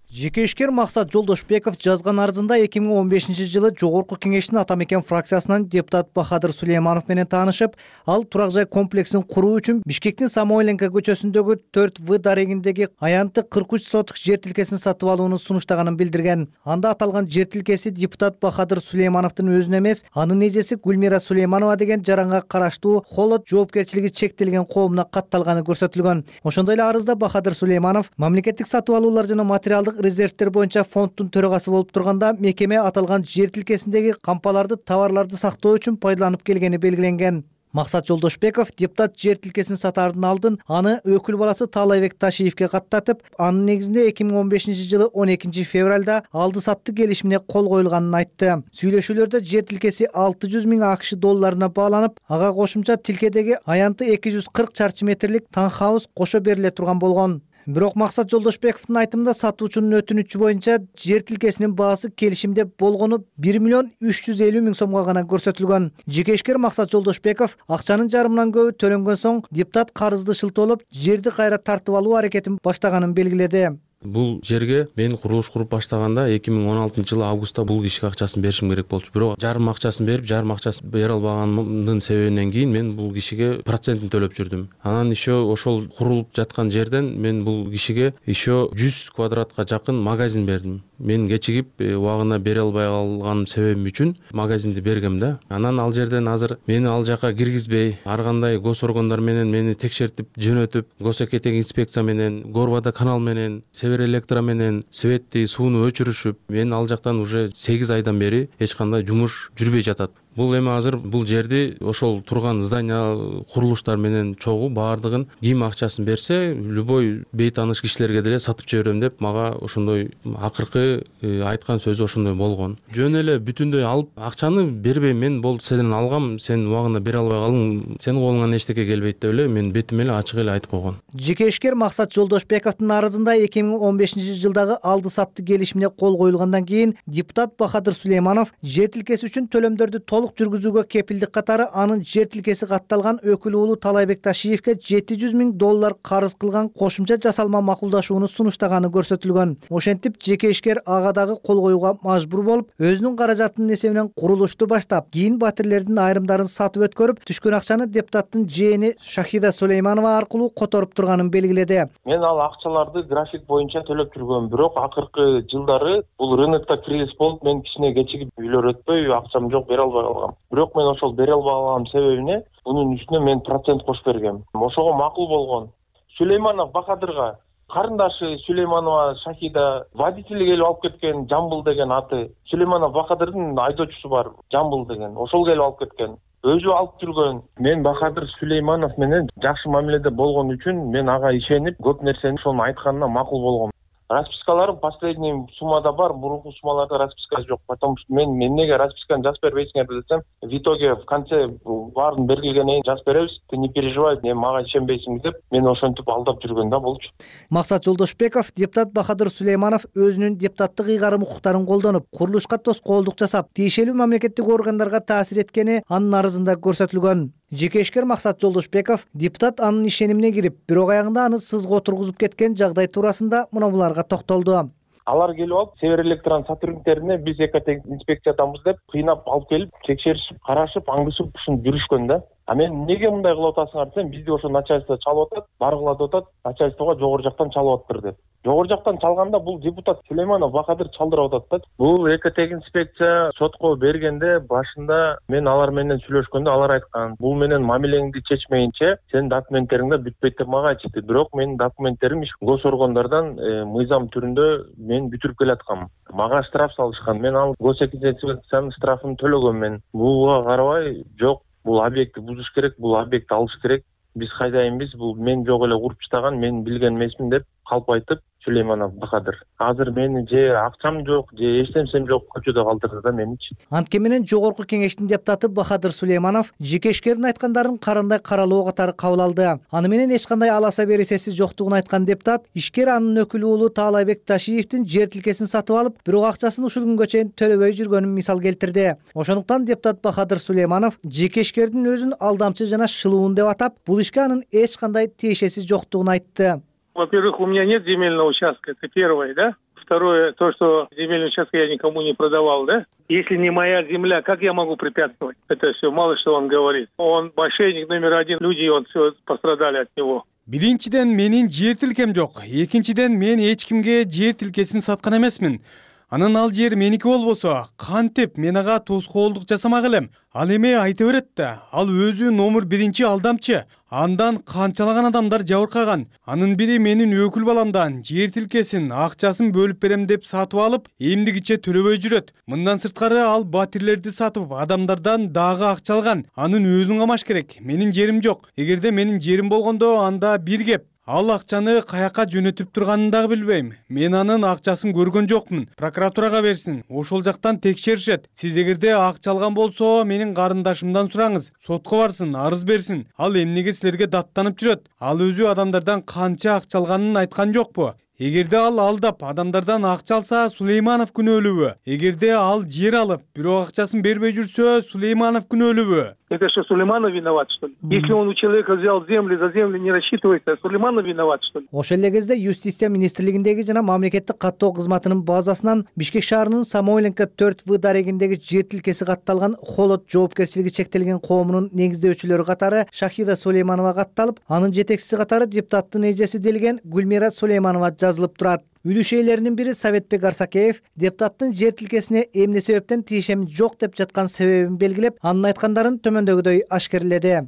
Жеке ишкер Максат Жолдошбеков жазган арызында 2015-жылы Жогорку кеңештин ата мекен фракциясынан депутат Бахадыр Сулейманов менен таанышып, ал турак жай комплексин куруу үчүн Бишкектин Самойленко көчөсүндөгү 4В дарегиндеги аянты 43 сотук жер тилкесин сатып алууну сунуштаганын билдирген. Анда аталган жер тилкеси депутат Бахадыр Сулеймановдун өзүнө эмес, анын эжеси Гүлмира Сулейманова деген жаранга караштуу Холод жоопкерчилиги чектелген коомуна катталганы көрсөтүлгөн. Ошондой эле арызда Бахадыр Сулейманов мамлекеттик сатып алуулар жана материалдык резервтер боюнча фонддун төрагасы болуп турганда, мекеме аталган жер тилкесиндеги кампаларды, товарларды сактоо үчүн пайдаланып келгени белгиленген. Максат Жолдошбеков депутат жер тилкесин сатаардын алдын аны өкүл баласы Таалайбек Ташиевке каттатып, анын негизинде 2015-жылы 12 февралда алды сатты келишимине кол коюлганын айтты. Сүйлөшүүлөрдө жер тилкеси 600 000 АКШ долларына бааланып, ага кошумча тилкедеги аянты 240 чарчы метрлик таунхаус кошо бериле турган болгон. Бирок Максат Жолдошбековдун айтымында сатуучунун өтүнүчү боюнча жер тилкесинин баасы келишимде болгону 1 350 000 сомго гана көрсөтүлгөн. Жеке ишкер Максат Жолдошбеков акчанын жарымынан көбү төлөнгөн соң депутат карызды шылтоолоп, жерди кайра тартып алуу аракетин баштаганын белгиледи. Бул жерге мен курулуш куруп баштаганда 2016-жылы августта бул кишиге акчасын беришим керек болчу. Бирок жарым акчасын берип, жарым акчасын бере албаганымдын себебинен кийин мен бул кишиге процентин төлөп жүрдүм. Анан еще ошол курулуп жаткан жерден мен бул кишиге еще 100 квадратка жакын магазин бердим. Мен кечигип убагында бере албай калган себебим үчүн магазинди бергем да. Анан ал жерден азыр мени ал жака киргизбей, ар кандай гос органдар менен мени текшертип жөнөтүп, госэкетек инспекция менен, Горвода канал менен, Север электро менен светти, сууну өчүрүшүп, мен ал жактан уже 8 айдан бери эч кандай жумуш жүрбөй жатат. Бул эми азыр бул жерди ошол турган здания курулуштар менен чогуу баардыгын ким акчасын берсе, любой бейтааныш кишилерге деле сатып жиберем деп мага ошондой акыркы айткан сөзү ошондой болгон. Жөн эле бүтүндөй алып акчаны бербейм, мен болду сенден алгам, сен убагында бере албай калдың, сенин колуңан эчтеке келбейт деп эле мен бетим эле ачык эле айтып койгон. Жеке ишкер Максат Жолдошбековдун арызында 2015-жылдагы алды сатты келишимине кол коюлгандан кийин депутат Бахадыр Сулейманов жер тилкеси үчүн төлөмдөрдү жүргүзүүгө кепилдик катары анын жер тилкеси катталган өкүл уулу Таалайбек Ташиевке 700 000 доллар карыз кылган кошумча жасалма макулдашууну сунуштаганы көрсөтүлгөн. Ошентип жеке ишкер ага дагы кол коюуга мажбур болуп, өзүнүн каражатынын эсебинен курулушту баштап, кийин батирлердин айрымдарын сатып өткөрүп, түшкөн акчаны депутаттын жээни Шахида Сулейманова аркылуу которуп турганын белгиледи. Мен ал акчаларды график боюнча төлөп жүргөм, бирок акыркы жылдары бул рынокто кризис болуп, мен кичине кечигип үйлөр өтпөй, акчам жок, бере албай калгам. Бирок мен ошол бере албаганым себебине бунун үстүнө мен процент кошуп бергем. Ошого макул болгон. Сулейманов Бахадырга карындашы Сулейманова Шахида водитель келип алып кеткен, Жамбыл деген аты. Сулейманов Бахадырдын айдоочусу бар, Жамбыл деген. Ошол келип алып кеткен. Өзү алып жүргөн. Мен Бахадыр Сулейманов менен жакшы мамиледе болгон үчүн мен ага ишенип, көп нерсени ошонун айтканына макул болгом. Распискаларым последний суммада бар, мурунку суммаларда расписка жок. Потому что мен эмнеге расписканы жазып бербейсиңер десем, в итоге в конце баарын бергилгенден кийин жазып беребиз, ты не переживай, мага ишенбейсиңиз деп мени ошентип алдап жүргөн да болчу. Максат Жолдошбеков, депутат Бахадыр Сулейманов өзүнүн депутаттык ыйгарым укуктарын колдонуп, курулушка тоскоолдук жасап, тиешелүү мамлекеттик органдарга таасир эткени анын арызында көрсөтүлгөн. Жеке ишкер Максат Жолдошбеков депутат анын ишенимине кирип, бирок аягында аны сызга отургузуп кеткен жагдай туурасында мына буларга токтолду. Алар келип алып, Север Электрон сотрудниктерине биз экоинспекциядамыз деп кыйнап алып келип, текшеришип, карашып, аңгышып ушинтип жүрүшкөн да. А мен неге мындай кылып атасыңар десем, бизди ошо начальство чалып атат, баргыла деп атат, начальствого жогору жактан чалып атыптыр деп. Жогору жактан чалганда бул депутат Сулейманов Бахадыр чалдырып атат да. Бул экотехинспекция сотко бергенде башында мен алар менен сүйлөшкөндө алар айткан, бул менен мамилеңди чечмейинче сенин документтериңде бүтпөйт деп мага айтышты. Бирок менин документтерим гос органдардан мыйзам түрүндө мен бүтүрүп келаткам. Мага штраф салышкан. Мен ал госэкспертизанын штрафын төлөгөнмүн. Буга карабай, жок, бул объектти бузуш керек, бул объектти алыш керек. Биз хайдайынбыз, бул мен жок эле куруп чыган, мен билген эмесмин деп калп айтып Сулейманов Бахадыр. Азыр мени же акчам жок, же эч нерсем жок, көчөдө калтырды да меничи. Антке менен жогорку кеңештин депутаты Бахадыр Сулейманов жеке ишкердин айткандарын карандай каралоо катары кабыл алды. Аны менен эч кандай аласа бересеси жоктугун айткан депутат ишкер анын өкүлү уулу Таалайбек Ташиевдин жер тилкесин сатып алып, бирок акчасын ушул күнгө чейин төлөбөй жүргөнүн мисал келтирди. Ошондуктан депутат Бахадыр Сулейманов жеке ишкердин өзүн алдамчы жана шылуун деп атап, бул ишке анын эч кандай тиешеси жоктугун айтты. Во-первых, у меня нет земельного участка, это первое, да? Второе, то, что земельный участок я никому не продавал, да? Если не моя земля, как я могу препятствовать? Это все, мало что он говорит. Он мошенник номер один, люди все пострадали от него. Биринчиден менин жер тилкем жок. Экинчиден мен эч кимге жер тилкесин саткан эмесмин. Анын ал жер меники болбосо, кантип мен ага тоскоолдук жасамак элем. Ал эме айта берет да, ал өзү номер биринчи алдамчы. Андан канчалаган адамдар жабыркаган. Анын бири менин өкүл баламдан жер тилкесин, акчасын бөлүп берем деп сатып алып, эмдигиче төлөбөй жүрөт. Мындан сырткары ал батирлерди сатып, адамдардан дагы акча алган. Анын өзүн камаш керек. Менин жерим жок. Эгерде менин жерим болгондо анда бир кеп. Ал акчаны каяка жөнөтүп турганын дагы билбейм. Мен анын акчасын көргөн жокмун. Прокуратурага берсин. Ошол жактан текшеришет. Сиз эгерде акча алган болсо, менин карындашымдан сураңыз. Сотко барсын, арыз берсин. Ал эмнеге силерге даттанып жүрөт? Ал өзү адамдардан канча акча алганын айткан жокпу? Эгерде ал алдап адамдардан акча алса, Сулейманов күнөөлүүбү? Эгерде ал жер алып, бирок акчасын бербей жүрсө, Сулейманов күнөөлүүбү? Это что, Сулейманов виноват, что ли? Если он у человека взял землю, за землю не рассчитывается, Сулейманов виноват, что ли? Ошол эле кезде Юстиция министрлигиндеги жана мамлекеттик каттоо кызматынын базасынан Бишкек шаарынын Самойленко 4В дарегиндеги жер тилкеси катталган Холод жоопкерчилиги чектелген коомунун негиздөөчүлөрү катары Шахида Сулейманова катталып, анын жетекчиси катары депутаттын эжеси делген Гүлмира Сулейманова жазылып турат. Үлүш ээлеринин бири Советбек Арсакеев депутаттын жер тилкесине эмне себептен тиешем жок деп жаткан себебин белгилеп, анын айткандарын төмөндөгүдөй ашкерледи.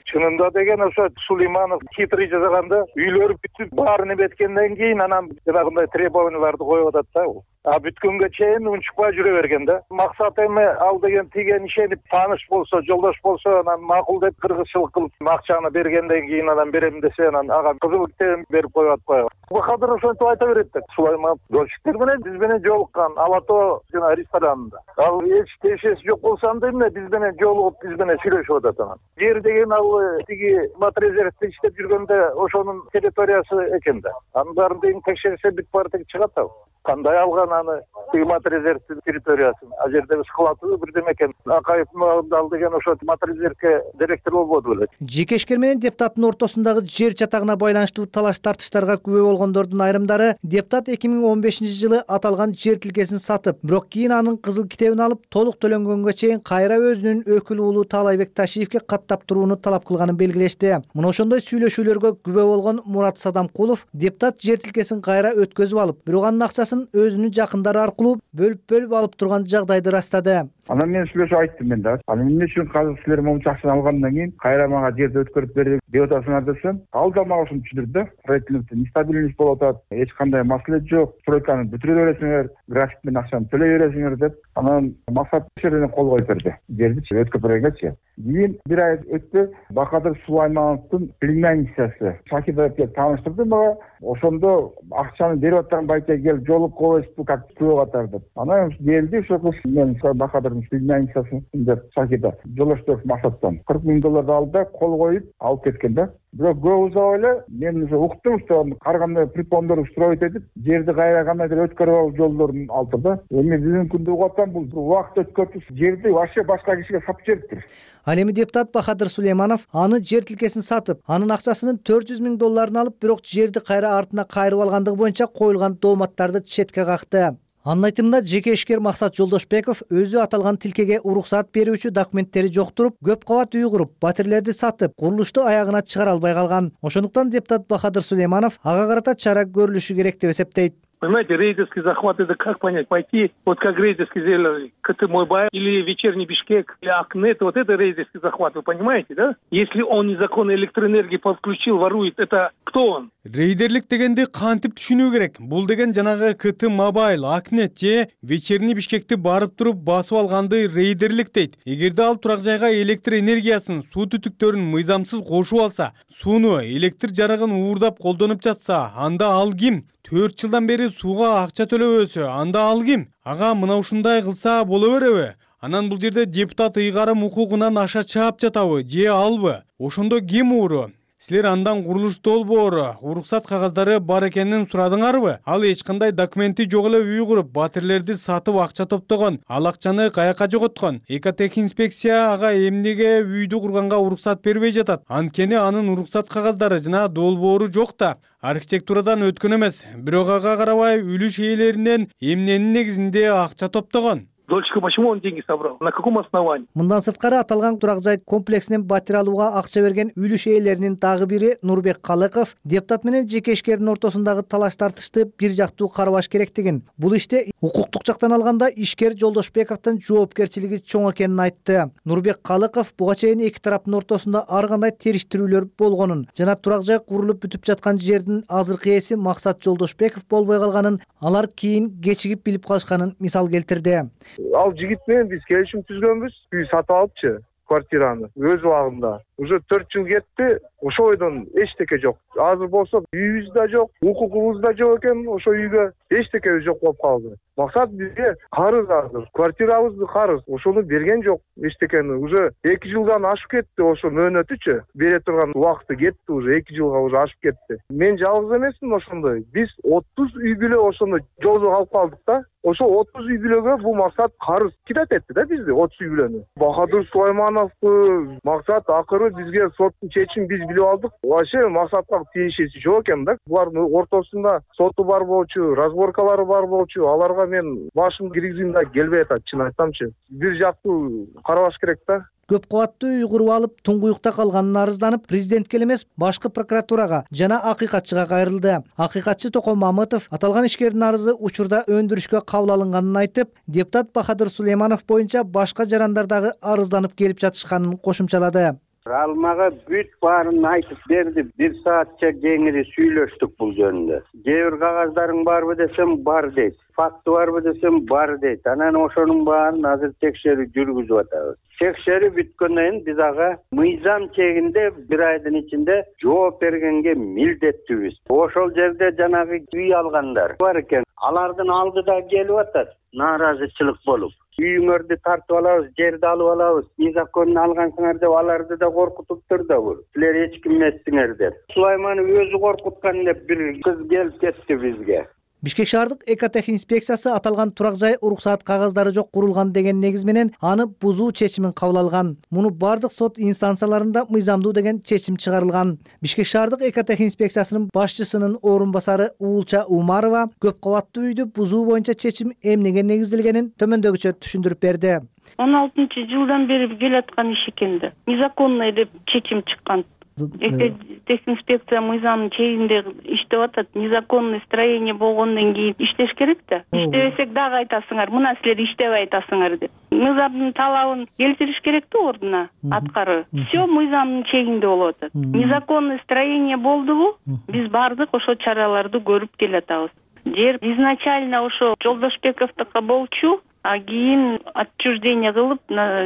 Чынында деген ошо Сулейманов хитрый жасаганда үйлөрү бүтүп баарын эметкенден кийин анан жанагындай требованияларды коюп атат да. А бүткөнгө чейин унчукпай жүрө берген да. Максат эми ал деген тиген ишенип тааныш болсо, жолдош болсо, анан макул деп кыргызчылык кылып акчаны бергенден кийин анан берем десе, анан ага кызыл китебин берип коюп атпайбы. Бахадыр ошентип айта берет да. Сулейманов дольщиктер менен биз менен жолуккан Алато жана ресторанында. Ал эч тиешеси жок болсо анда эмне биз менен жолугуп, биз менен сүйлөшүп атат анан. Жер деген ал тиги матрезервте иштеп жүргөндө ошонун территориясы экен да. Анын баарын деген текшерсе бүт баары тең чыгат да. Кандай алган аны матрезервтин территориясын? А жерде склады бирдеме экен. Акаевдин ал деген ошо матрезервке директор болбоду беле. Жеке ишкер менен депутаттын ортосундагы жер чатагына байланыштуу талаш тартыштарга күбө болгондордун айрымдары депутат 2015-жылы аталган жер тилкесин сатып, бирок кийин анын кызыл китебин алып, толук төлөнгөнгө чейин кайра өзүнүн өкүл уулу Таалайбек Ташиевке каттап турууну талап кылганын белгилешти. Мына ошондой сүйлөшүүлөргө күбө болгон Мурат Садамкулов депутат жер тилкесин кайра өткөзүп алып, бирок анын акчасын өзүнүн жакындары аркылуу бөлүп алып турган жагдайды ырастады. Анан мен сүйлөшүп айттым мен да. Анан эмне үчүн азыр силер момунча акчаны алгандан кийин кайра мага жерди өткөрүп берди деп атасыңар десем, ал да мага ушуну түшүндүрдү да. Строительность нестабильность болуп атат. Эч кандай маселе жок. Стройканы бүтүрө бересиңер, график менен акчаны төлөй бересиңер деп. Анан максат жерден кол коюп берди. Жерди өткөрүп бергенчи. Кийин бир ай өттү, Бахадыр Сулеймановдун племянницасы Шахида тааныштырды мага. Ошондо акчаны берип аткан байке келип жолук коесузбу, как күбө катар деп. Анан келди, ошо кыз мен Бахадыр Кыргызстандын соединениясын деп Шакида Жолдошбеков Максаттан $40,000 алды да кол коюп алып кеткен да. Бирок көп узабай эле мен уже уктум, что карганда припондор строить этип, жерди кайра кандайдыр өткөрүп алып жолдорун алды да. Эми бүгүнкү күндө угуп атам, бул убакыт өткөрүп жерди вообще башка кишиге сатып жибериптир. Ал эми депутат Бахадыр Сулейманов аны жер тилкесин сатып, анын акчасынын $400,000 алып, бирок жерди кайра артына кайрып алгандыгы боюнча коюлган дооматтарды четке какты. Анын айтымында жеке ишкер Максат Жолдошбеков өзү аталган тилкеге уруксаат берүүчү документтери жоктуруп, көп кабат үй куруп, батирлерди сатып, курулушту аягына чыгара албай калган. Ошондуктан депутат Бахадыр Сулейманов ага карата чара көрүлүшү керек деп эсептейт. Понимаете, рейдерский захват, это как понять? Пойти, вот как рейдерский сделали КТ-Мойбай или Вечерний Бишкек, или Акнет, вот это рейдерский захват, вы понимаете, да? Если он незаконно электроэнергии подключил, ворует, это кто он? Рейдерлик дегенди кантип түшүнүү керек? Бул деген жанагы КТ-Мобайл, Акнет же Вечерний Бишкекти барып туруп басып алганды рейдерлик дейт. Эгерде ал турак жайга электр энергиясын, суу түтүктөрүн мыйзамсыз кошуп алса, сууну, электр жарыгын уурдап колдонуп жатса, анда ал ким? 4 жылдан бери сууга акча төлөбөсө, анда ал ким? Ага мына ушундай кылса боло береби? Анан бул жерде депутат ыйгарым укугунан аша чаап жатабы, же албы? Ошондо ким ууру? Силер андан курулуш долбоору, уруксат кагаздары бар экенин сурадыңарбы? Ал эч кандай документи жок эле үй куруп, батирлерди сатып акча топтогон. Ал акчаны каяка жоготкон? Экотехинспекция ага эмнеге үйдү курганга уруксат бербей жатат? Анткени анын уруксат кагаздары жана долбоору жок да. Архитектурадан өткөн эмес, бирок ага карабай үлүш ээлеринен эмненин негизинде акча топтогон? Дольчика, почему он деньги собрал? На каком основании? Мындан сырткары аталган турак жай комплексинен батир алууга акча берген үлүш ээлеринин дагы бири Нурбек Калыков депутат менен жеке ишкердин ортосундагы талаш тартышты бир жактуу карабаш керектигин, бул иште укуктук жактан алганда ишкер Жолдошбековдун жоопкерчилиги чоң экенин айтты. Нурбек Калыков буга чейин эки тараптын ортосунда ар кандай териштирүүлөр болгонун жана турак жай курулуп бүтүп жаткан жердин азыркы ээси Максат Жолдошбеков болбой калганын, алар кийин кечигип билип калышканын мисал келтирди. Ал жигит менен биз келишим түзгөнбүз, үй сатып алыпчы квартираны өз убагында. Уже 4 жыл кетти, ошо бойдон эчтеке жок. Азыр болсо үйүбүз да жок, укугубуз да жок экен, ошо үйгө эчтеке жок болуп калды. Максат бизге карыз азыр, квартирабызды карыз, ошону берген жок эчтекени. Уже 2 жылдан ашып кетти, ошо мөөнөтүчү. Бере турган убакыты кетти, уже 2 жылга уже ашып кетти. Мен жалгыз эмесмин ошондой. Биз 30 үй бүлө ошондой жолдо калып калдык да. Ошо 30 үй бүлөгө бул Максат карыз кидат этти да бизди, 30 үй бүлөнү. Бахадыр Сулаймановду Максат акыры бизге соттун чечимин биз билип алдык. Вообще Максатка тиешеси жок экен да. Булардын ортосунда соту бар болчу, разборкалары бар болчу. Аларга мен башым киргизгим да келбей атат, чын айтсамчы. Бир жактуу карабаш керек да. Көп кабаттуу үй куруп алып, туңгуюкта калганын арызданып, президентке эле эмес, башкы прокуратурага жана акыйкатчыга кайрылды. Акыйкатчы Токон Мамытов аталган ишкердин арызы учурда өндүрүшкө кабыл алынганын айтып, депутат Бахадыр Сулейманов боюнча башка жарандардагы арызданып келип жатышканын кошумчалады. Ал мага бүт баарын айтып берди. 1 саатча кеңири сүйлөштүк бул жөнүндө. Кээ бир кагаздарың барбы десем, бар дейт. Факты барбы десем, бар дейт. Анан ошонун баарын азыр текшерүү жүргүзүп атабыз. Текшерүү бүткөндөн кийин биз ага мыйзам чегинде 1 айдын ичинде жооп бергенге милдеттүүбүз. Ошол жерде жанагы үй алгандар бар экен. Алардын алдыда келип атат, нааразычылык болуп. Үйүңөрдү тартып алабыз, жерди алып алабыз, незаконно алгансыңар деп аларды да коркутуптур да бул. Силер эч ким эмессиңер деп. Сулайманов өзү коркуткан деп бир кыз келип кетти бизге. Бишкек шаардык экотехинспекциясы аталган турак жай уруксаат кагаздары жок курулган деген негиз менен аны бузуу чечимин кабыл алган. Муну бардык сот инстанцияларында мыйзамдуу деген чечим чыгарылган. Бишкек шаардык экотехинспекциясынын башчысынын орун басары Уулча Умарова көп кабаттуу үйдү бузуу боюнча чечим эмнеге негизделгенин төмөндөгүчө түшүндүрүп берди. 16-жылдан бери келаткан иш экен да. Незаконно деп чечим чыккан. Экотехинспекция мыйзамдын чегинде иштеп атат. Незаконный строение болгондон кийин иштеш керек да. Иштебесек дагы айтасыңар, мына силер иштебей атасыңар деп. Мыйзамдын талабын келтириш керек да ордуна аткары. Всё мыйзамдын чегинде болуп атат. Незаконный строение болдубу? Биз бардык ошо чараларды көрүп келатабыз. Жер изначально ошо Жолдошбековдука болчу, а кийин отчуждение кылып,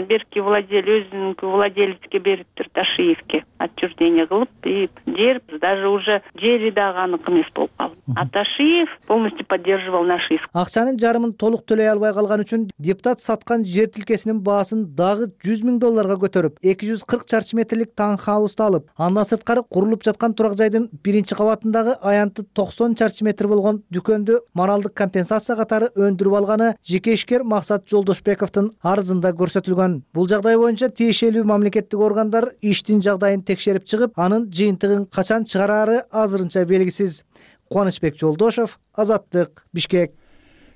берки владелец өзүнүн владелецке бериптир. Аташиевке отчуждение кылып, и жер даже уже жери дагы аныкы эмес болуп калды. Аташиев полностью поддерживал наши иск. Акчанын жарымын толук төлөй албай калган үчүн депутат саткан жер тилкесинин баасын дагы $100,000 көтөрүп, 240 чарчы метрлик таунхаусту алып, андан сырткары курулуп жаткан турак жайдын биринчи кабатындагы аянты 90 чарчы метр болгон дүкөндү моралдык компенсация катары өндүрүп алганы жеке ишкер Максат Жолдошбековдун арызында көрсөтүлгөн. Бул жагдай боюнча тиешелүү мамлекеттик органдар иштин жагдайын текшерип чыгып, анын жыйынтыгын качан чыгараары азырынча белгисиз. Кубанычбек Жолдошов, Азаттык, Бишкек.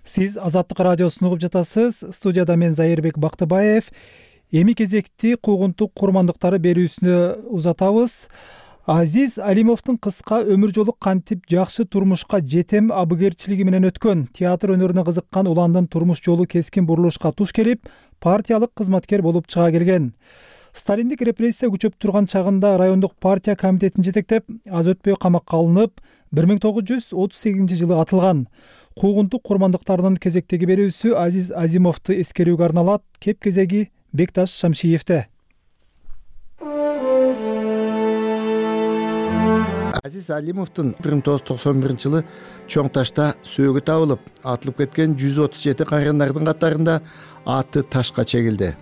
Сиз Азаттык радиосун угуп жатасыз. Студияда мен Зайырбек Бактыбаев. Эми кезекти куугунтук курмандыктары берүүсүнө узатабыз. Азиз Алимовдун кыска өмүр жолу кантип жакшы турмушка жетем абыгерчилиги менен өткөн. Театр өнөрүнө кызыккан уландын турмуш жолу кескин бурулушка туш келип, партиялык кызматкер болуп чыга келген. Сталиндик репрессия күчөп турган чагында райондук партия комитетин жетектеп, аз өтпөй камакка алынып, 1938-жылы атылган. Куугунтук курмандыктарынын кезектеги берүүсү Азиз Азимовду эскерүүгө арналат. Кеп кезеги Бекташ Шамшиевде. Азиз Алимовдун 1991-жылы Чоң Ташта сөөгү табылып, атылып кеткен 137 кайрандардын катарында аты ташка чегилди.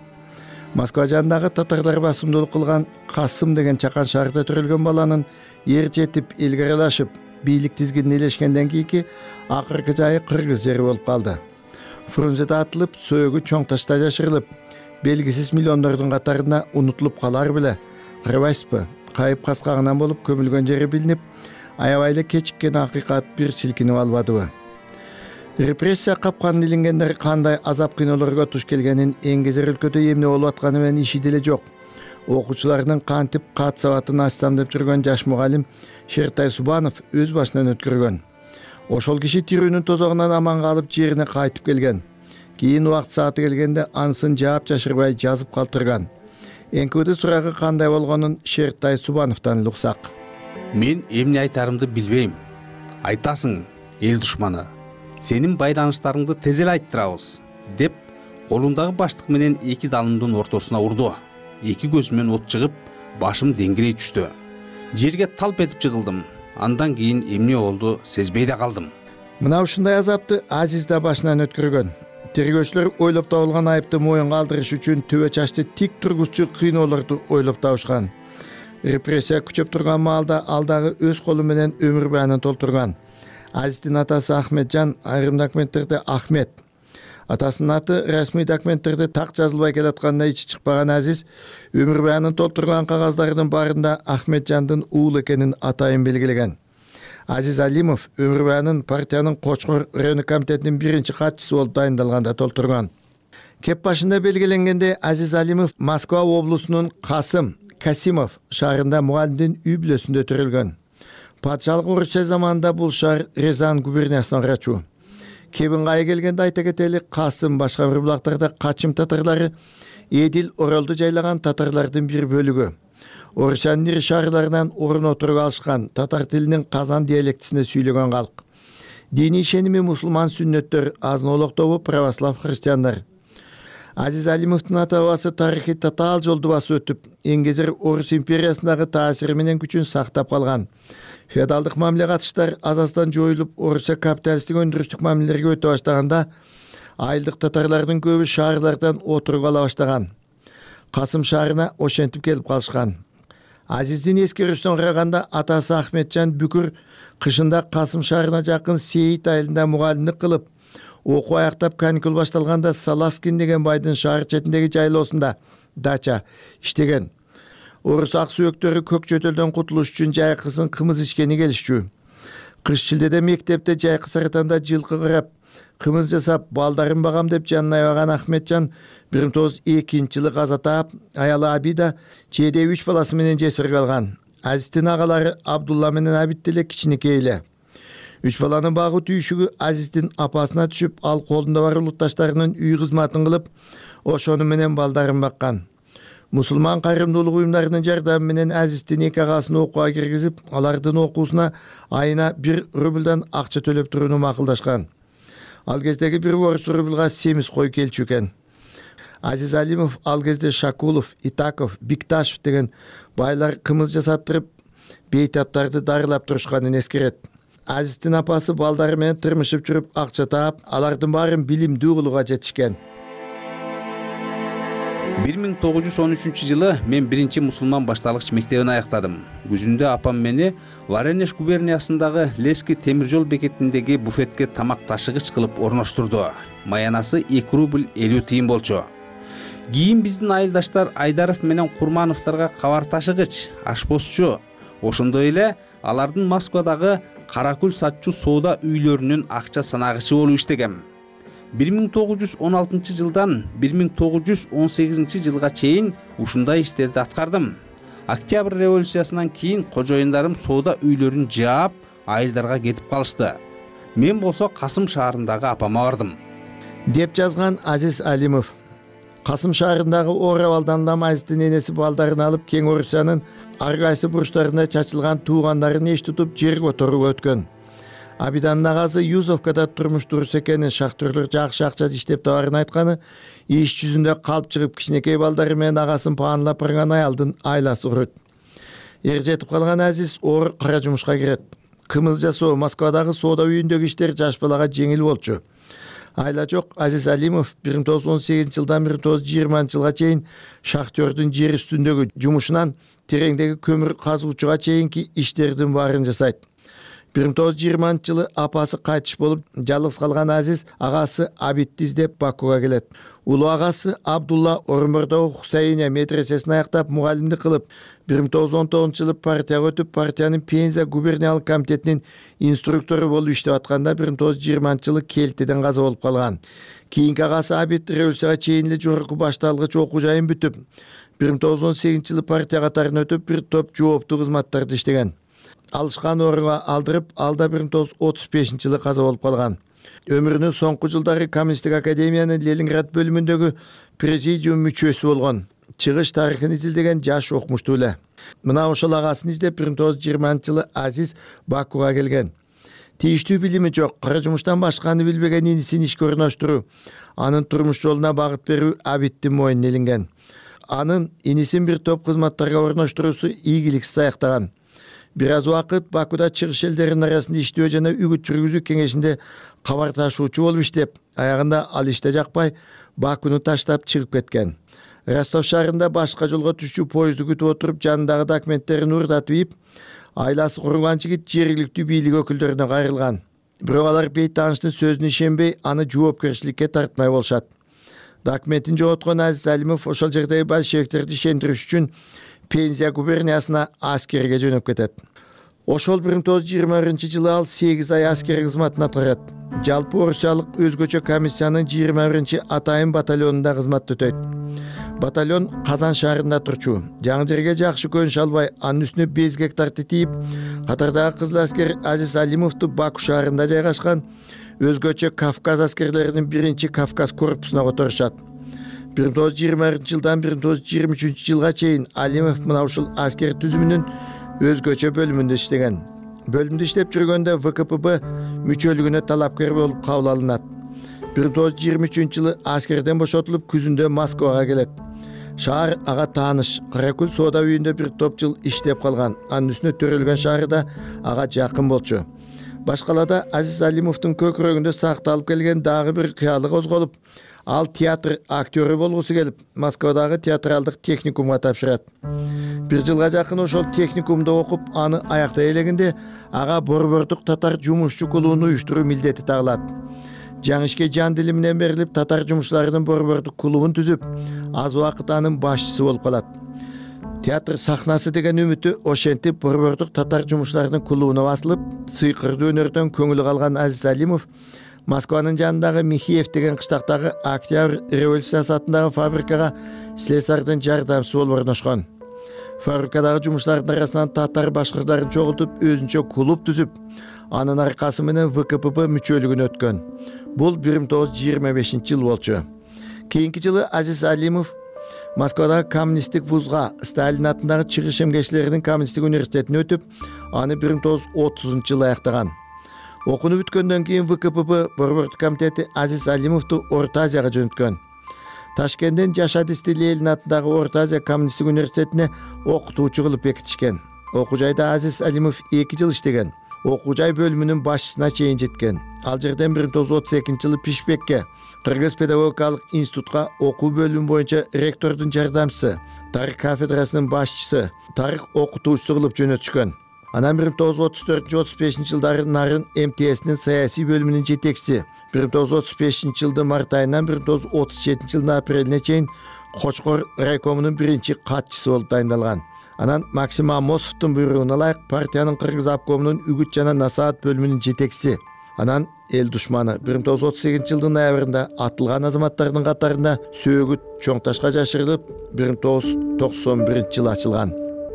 Москва жанындагы татарлар басымдуулук кылган Касым деген чакан шаарда төрөлгөн баланын ер жетип илгерилашып, бийлик тизгинин элешкенден кийинки акыркы жайы кыргыз жери болуп калды. Фрунзеде атылып, сөөгү Чоң Ташта жашырылып, белгисиз миллиондордун катарында унутулуп калар беле, кырбайсызбы? Кайып каскагынан болуп көмүлгөн жери билинип, аябай эле кечиккен акыйкат бир силкинип албадыбы? Репрессия капканын илингендер кандай азап кыйноолорго туш келгенин эңгезер өлкөдө эмне болуп атканы менен иши деле жок. Окуучулардын кантип кат сабатын ачсам деп жүргөн жаш мугалим Шертай Субанов өз башынан өткөргөн. Ошол киши тирүүнүн тозогунан аман калып жерине кайтып келген. Кийин убакыт сааты келгенде анысын жаап жашырбай жазып калтырган. НКВД сурагы кандай болгонун Шертай Субановдон уксак. Мен эмне айтарымды билбейм. Айтасың, эл душманы. Сенин байланыштарыңды тез эле айттырабыз, деп колундагы баштык менен эки далымдын ортосуна урду. Эки көзүмөн от чыгып, башым деңгирей түштү. Жерге талп этип жыгылдым. Андан кийин эмне болду сезбей да калдым. Мына ушундай азапты Азиз да башынан өткөргөн. Тергөөчүлөр ойлоп табылган айыпты моюнга алдырыш үчүн төбө чачты тик тургузчу кыйноолорду ойлоп табышкан. Репрессия күчөп турган маалда ал дагы өз колу менен өмүр баянын толтурган. Азиздин атасы Ахметжан айрым документтерде Ахмет. Атасынын аты расмий документтерде так жазылбай келатканда ичи чыкпаган Азиз өмүр баянын толтурган кагаздардын баарында Ахметжандын уулу экенин атайын белгилеген. Азиз Алимов өмүр баянын партиянын Кочкор райондук комитетинин биринчи катчысы болуп дайындалганда толтурган. Кеп башында белгиленгенде Азиз Алимов Москва облусунун Касимов шаарында мугалимдин үй бүлөсүндө төрөлгөн. Патшалык Орусия заманында бул шаар Рязань губерниясына ырачу. Кебингай келгенде айта кетели, Касым башка бир булактарда качым татарлары Эдил Оролду жайлаган татарлардын бир бөлүгү. Орусиянын ири шаарларынан орун отуруп алышкан, татар тилинин казан диалектисинде сүйлөгөн калк. Диний ишеними мусулман сүннөттөр, азын-олок тобу православ христиандар. Азиз Алимовдун ата-бабасы тарыхый татаал жолду басып өтүп, эңгезер Орус империясындагы таасири менен күчүн сактап калган. Феодалдык мамиле катыштар азастан жоюлуп, Орусия капиталисттик өндүрүштүк мамилелерге өтө баштаганда, айылдык татарлардын көбү шаарлардан отуруп ала баштаган. Касым шаарына ошентип келип калышкан. Азиздин эскерүүсүнөн караганда атасы Ахметжан Бүкүр кышында Касым шаарына жакын Сейит айылында мугалимдик кылып, окуу аяктап каникул башталганда Саласкин деген байдын шаар четиндеги жайлоосунда дача иштеген. Орус ак сүйөктөрү көк чөтөлдөн кутулуш үчүн жайкысын кымыз ичкени келишчү. Кыш шилдеде мектепте жайкы саратанда жылкы кырап, кымыз жасап, балдарын багам деп жанына аябаган Ахметжан 1902-жылы каза таап, аялы Абида чээде 3 баласы менен жесирге алган. Азиздин агалары Абдулла менен Абид деле кичинекей эле. 3 баланын багуу түйшүгү Азиздин апасына түшүп, ал колунда бар улутташтарынын үй кызматын кылып, ошону менен балдарын баккан. Мусулман кайрымдуулук уюмдарынын жардамы менен Азиздин эки агасын окууга киргизип, алардын окуусуна айына 1 рубльдан акча төлөп турууну макулдашкан. Ал кездеги 1 орус рубльга семиз кой келчү экен. Азиз Алимов ал кезде Шакулов, Итаков, Бикташев деген байлар кымыз жасаттырып, бейтаптарды дарылап турушканын эскерет. Азиздин апасы балдары менен тырмышып жүрүп акча таап, алардын баарын билимдүү кылууга жетишкен. 1913 мен биринчи мусулман башталгыч мектебин аяктадым. Күзүндө апам мени Воронеж губерниясындагы Лески темир жол бекетиндеги буфетке тамак ташыгыч кылып орноштурду. Маянасы 2 рубль 50 тыйын болчу. Кийин биздин айылдаштар Айдаров менен Курмановтарга кабар ташыгыч, ашпозчу, ошондой эле алардын Москвадагы Каракүл сатчу соода үйлөрүнүн акча санагычы болуп иштегем. 1916 жылдан 1918 жылга чейин ушундай иштерди аткардым. Октябрь революциясынан кийин кожоюндарым соода үйлөрүн жаап, айылдарга кетип калышты. Мен болсо Касым шаарындагы апама бардым, деп жазган Азиз Алимов. Касым шаарындагы Оравалдан улам Азиздин энеси балдарын алып, Кең Орусиянын ар кайсы бурчтарында чачылган туугандарын эч тутуп жер которууга өткөн. Абиданын агасы Юзовкада турмуш дурус экенин, шахтерлер жакшы акча иштеп табарын айтканы, иш жүзүндө калп чыгып кичинекей балдары менен агасын паанлап барган аялдын айласы урут. Эр жетип калган Азиз оор кара жумушка кирет. Кымыз жасоо, Москвадагы соода үйүндөгү иштер жаш балага жеңил болчу. Айла жок, Азиз Алимов 1918 жылдан 1920 жылга чейин шахтердин жер үстүндөгү жумушунан тереңдеги көмүр казуучуга чейинки иштердин баарын жасайт. 1920 жылы апасы кайтыш болуп, жалгыз калган Азиз агасы Абитти издеп Бакуга келет. Улуу агасы Абдулла Орунбордогу Хусайния медресесин аяктап, мугалимдик кылып, 1919 жылы партияга өтүп, партиянын Пенза губерниялык комитетинин инструктору болуп иштеп атканда 1920 жылы Келтеден каза болуп калган. Кийинки агасы Абит революцияга чейин эле жогорку башталгыч окуу жайын бүтүп, 1918 жылы партия катарына өтүп, бир топ жооптуу кызматтарды иштеген. Алышкан орунга алдырып, алда 1935 жылы каза болуп калган. Өмүрүнүн соңку жылдары Коммунисттик академиянын Ленинград бөлүмүндөгү президиум мүчөсү болгон. Чыгыш тарыхын изилдеген жаш окумуштуу эле. Мына ошол агасын издеп 1920 жылы Азиз Бакуга келген. Тийиштүү билими жок, кара жумуштан башканы билбеген инисин ишке орноштуруу, анын турмуш жолуна багыт берүү Абиттин мойнуна илинген. Анын инисин бир топ кызматтарга орноштуруусу ийгиликсиз аяктаган. Бир аз убакыт Бакуда чыгыш элдеринин арасында иштөө жана үгүт жүргүзүү кеңешинде кабар ташуучу болуп иштеп, аягында ал иште жакпай Бакуну таштап чыгып кеткен. Ростов шаарында башка жолго түшчү поезду күтүп отуруп, жанындагы документтерин уурдатып ийип, айласы курулган жигит жергиликтүү бийлик өкүлдөрүнө кайрылган. Бирок алар бейтааныштын сөзүнө ишенбей, аны жоопкерчиликке тартмай болушат. Документин жоготкон Азиз Алимов ошол жердеги большевиктерди ишендириш үчүн Пенза губерниясына аскерге жөнөп кетет. Ошол 1921 жылы ал 8 ай аскер кызматын аткарат. Жалпы Орусиялык өзгөчө комиссиянын 21 атайын батальонунда кызмат өтөйт. Батальон Казан шаарында турчу. Жаңы жерге жакшы көнүш албай, анын үстүнө безгек тартып тийип, катардагы кызыл аскер Азиз Алимовду Баку шаарында жайгашкан өзгөчө Кавказ аскерлеринин 1 Кавказ корпусуна которушат. 1921 жылдан 1923 жылга чейин Алимов мына ушул аскер түзүмүнүн өзгөчө бөлүмүндө иштеген. Бөлүмдө иштеп жүргөндө ВКПБ мүчөлүгүнө талапкер болуп кабыл алынат. 1923 жылы аскерден бошотулуп, күзүндө Москвага келет. Шаар ага тааныш. Каракүл соода үйүндө бир топ жыл иштеп калган. Анын үстүнө төрөлгөн шаары да ага жакын болчу. Башкалада Азиз Алимовдун көкүрөгүндө сакталып келген дагы бир кыялы козголуп, ал театр актёру болгусу келип, Москвадагы театралдык техникумга тапшырат. Бир жылга жакын ошол техникумда окуп, аны аяктай элегенде ага борбордук татар жумушчу клубун уюштуруу милдети тагылат. Жаңы ишке жан дили менен берилип, татар жумушчуларынын борбордук клубун түзүп, аз убакыт анын башчысы болуп калат. Театр сахнасы деген үмүтү ошентип борбордук татар жумушчуларынын клубуна басылып, сыйкырдуу өнөрдөн көңүлү калган Азиз Алимов Москванын жанындагы Михеев деген кыштактагы Октябрь революциясы атындагы фабрикага слесардын жардамчысы болуп орношкон. Фабрикадагы жумуштардын арасынан татар башкырдарын чогултуп, өзүнчө клуб түзүп, анын аркасы менен ВКПБ мүчөлүгүнө өткөн. Бул 1925 жыл болчу. Кийинки жылы Азиз Алимов Москвадагы коммунисттик вузга, Сталин атындагы чыгыш эмгечилеринин коммунисттик университетине өтүп, аны 1930 жылы аяктаган. Окууну бүткөндөн кийин ВКПБ борбордук комитети Азиз Алимовду Орто Азияга жөнөткөн. Ташкенттен Жашат Ленин атындагы Орто Азия коммунисттик университетине окутуучу кылып бекитишкен. Окуу жайда Азиз Алимов 2 жыл иштеген. Окуу жай бөлүмүнүн башчысына чейин жеткен. Ал жерден 1932-жылы Пишпекке, Кыргыз педагогикалык институтка окуу бөлүмү боюнча ректордун жардамчысы, тарых кафедрасынын башчысы, тарых окутуучусу кылып жөнөтүшкөн. Анан 1934-35-жылдары Нарын МТСнин саясий бөлүмүнүн жетекчиси, 1935-жылдын март айынан 1937-жылдын апрелине чейин Кочкор райкомунун биринчи катчысы болуп дайындалган. Анан Максим Амосовдун буйругуна ылайык партиянын Кыргыз обкомунун үгүт жана насаат бөлүмүнүн жетекчиси. Анан эл душманы 1938-жылдын ноябрында атылган азаматтардын катарында сөөгүт чоң ташка жашырылып 1991-жылы ачылган.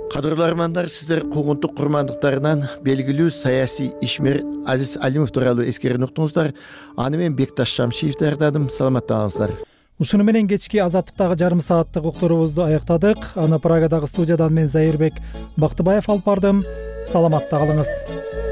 Кадырлуу армандар, сиздер куугунтук курмандыктарынан белгилүү саясий ишмер Азиз Алимов тууралуу эскерүүнү уктуңуздар. Аны мен Бекташ Шамшиев даярдадым. Саламаттаңыздар. Ушуну менен кечки Азаттыктагы жарым сааттык уктуруубузду аяктадык. Аны Прагадагы студиядан мен Зайырбек Бактыбаев алып бардым. Саламатта калыңыз.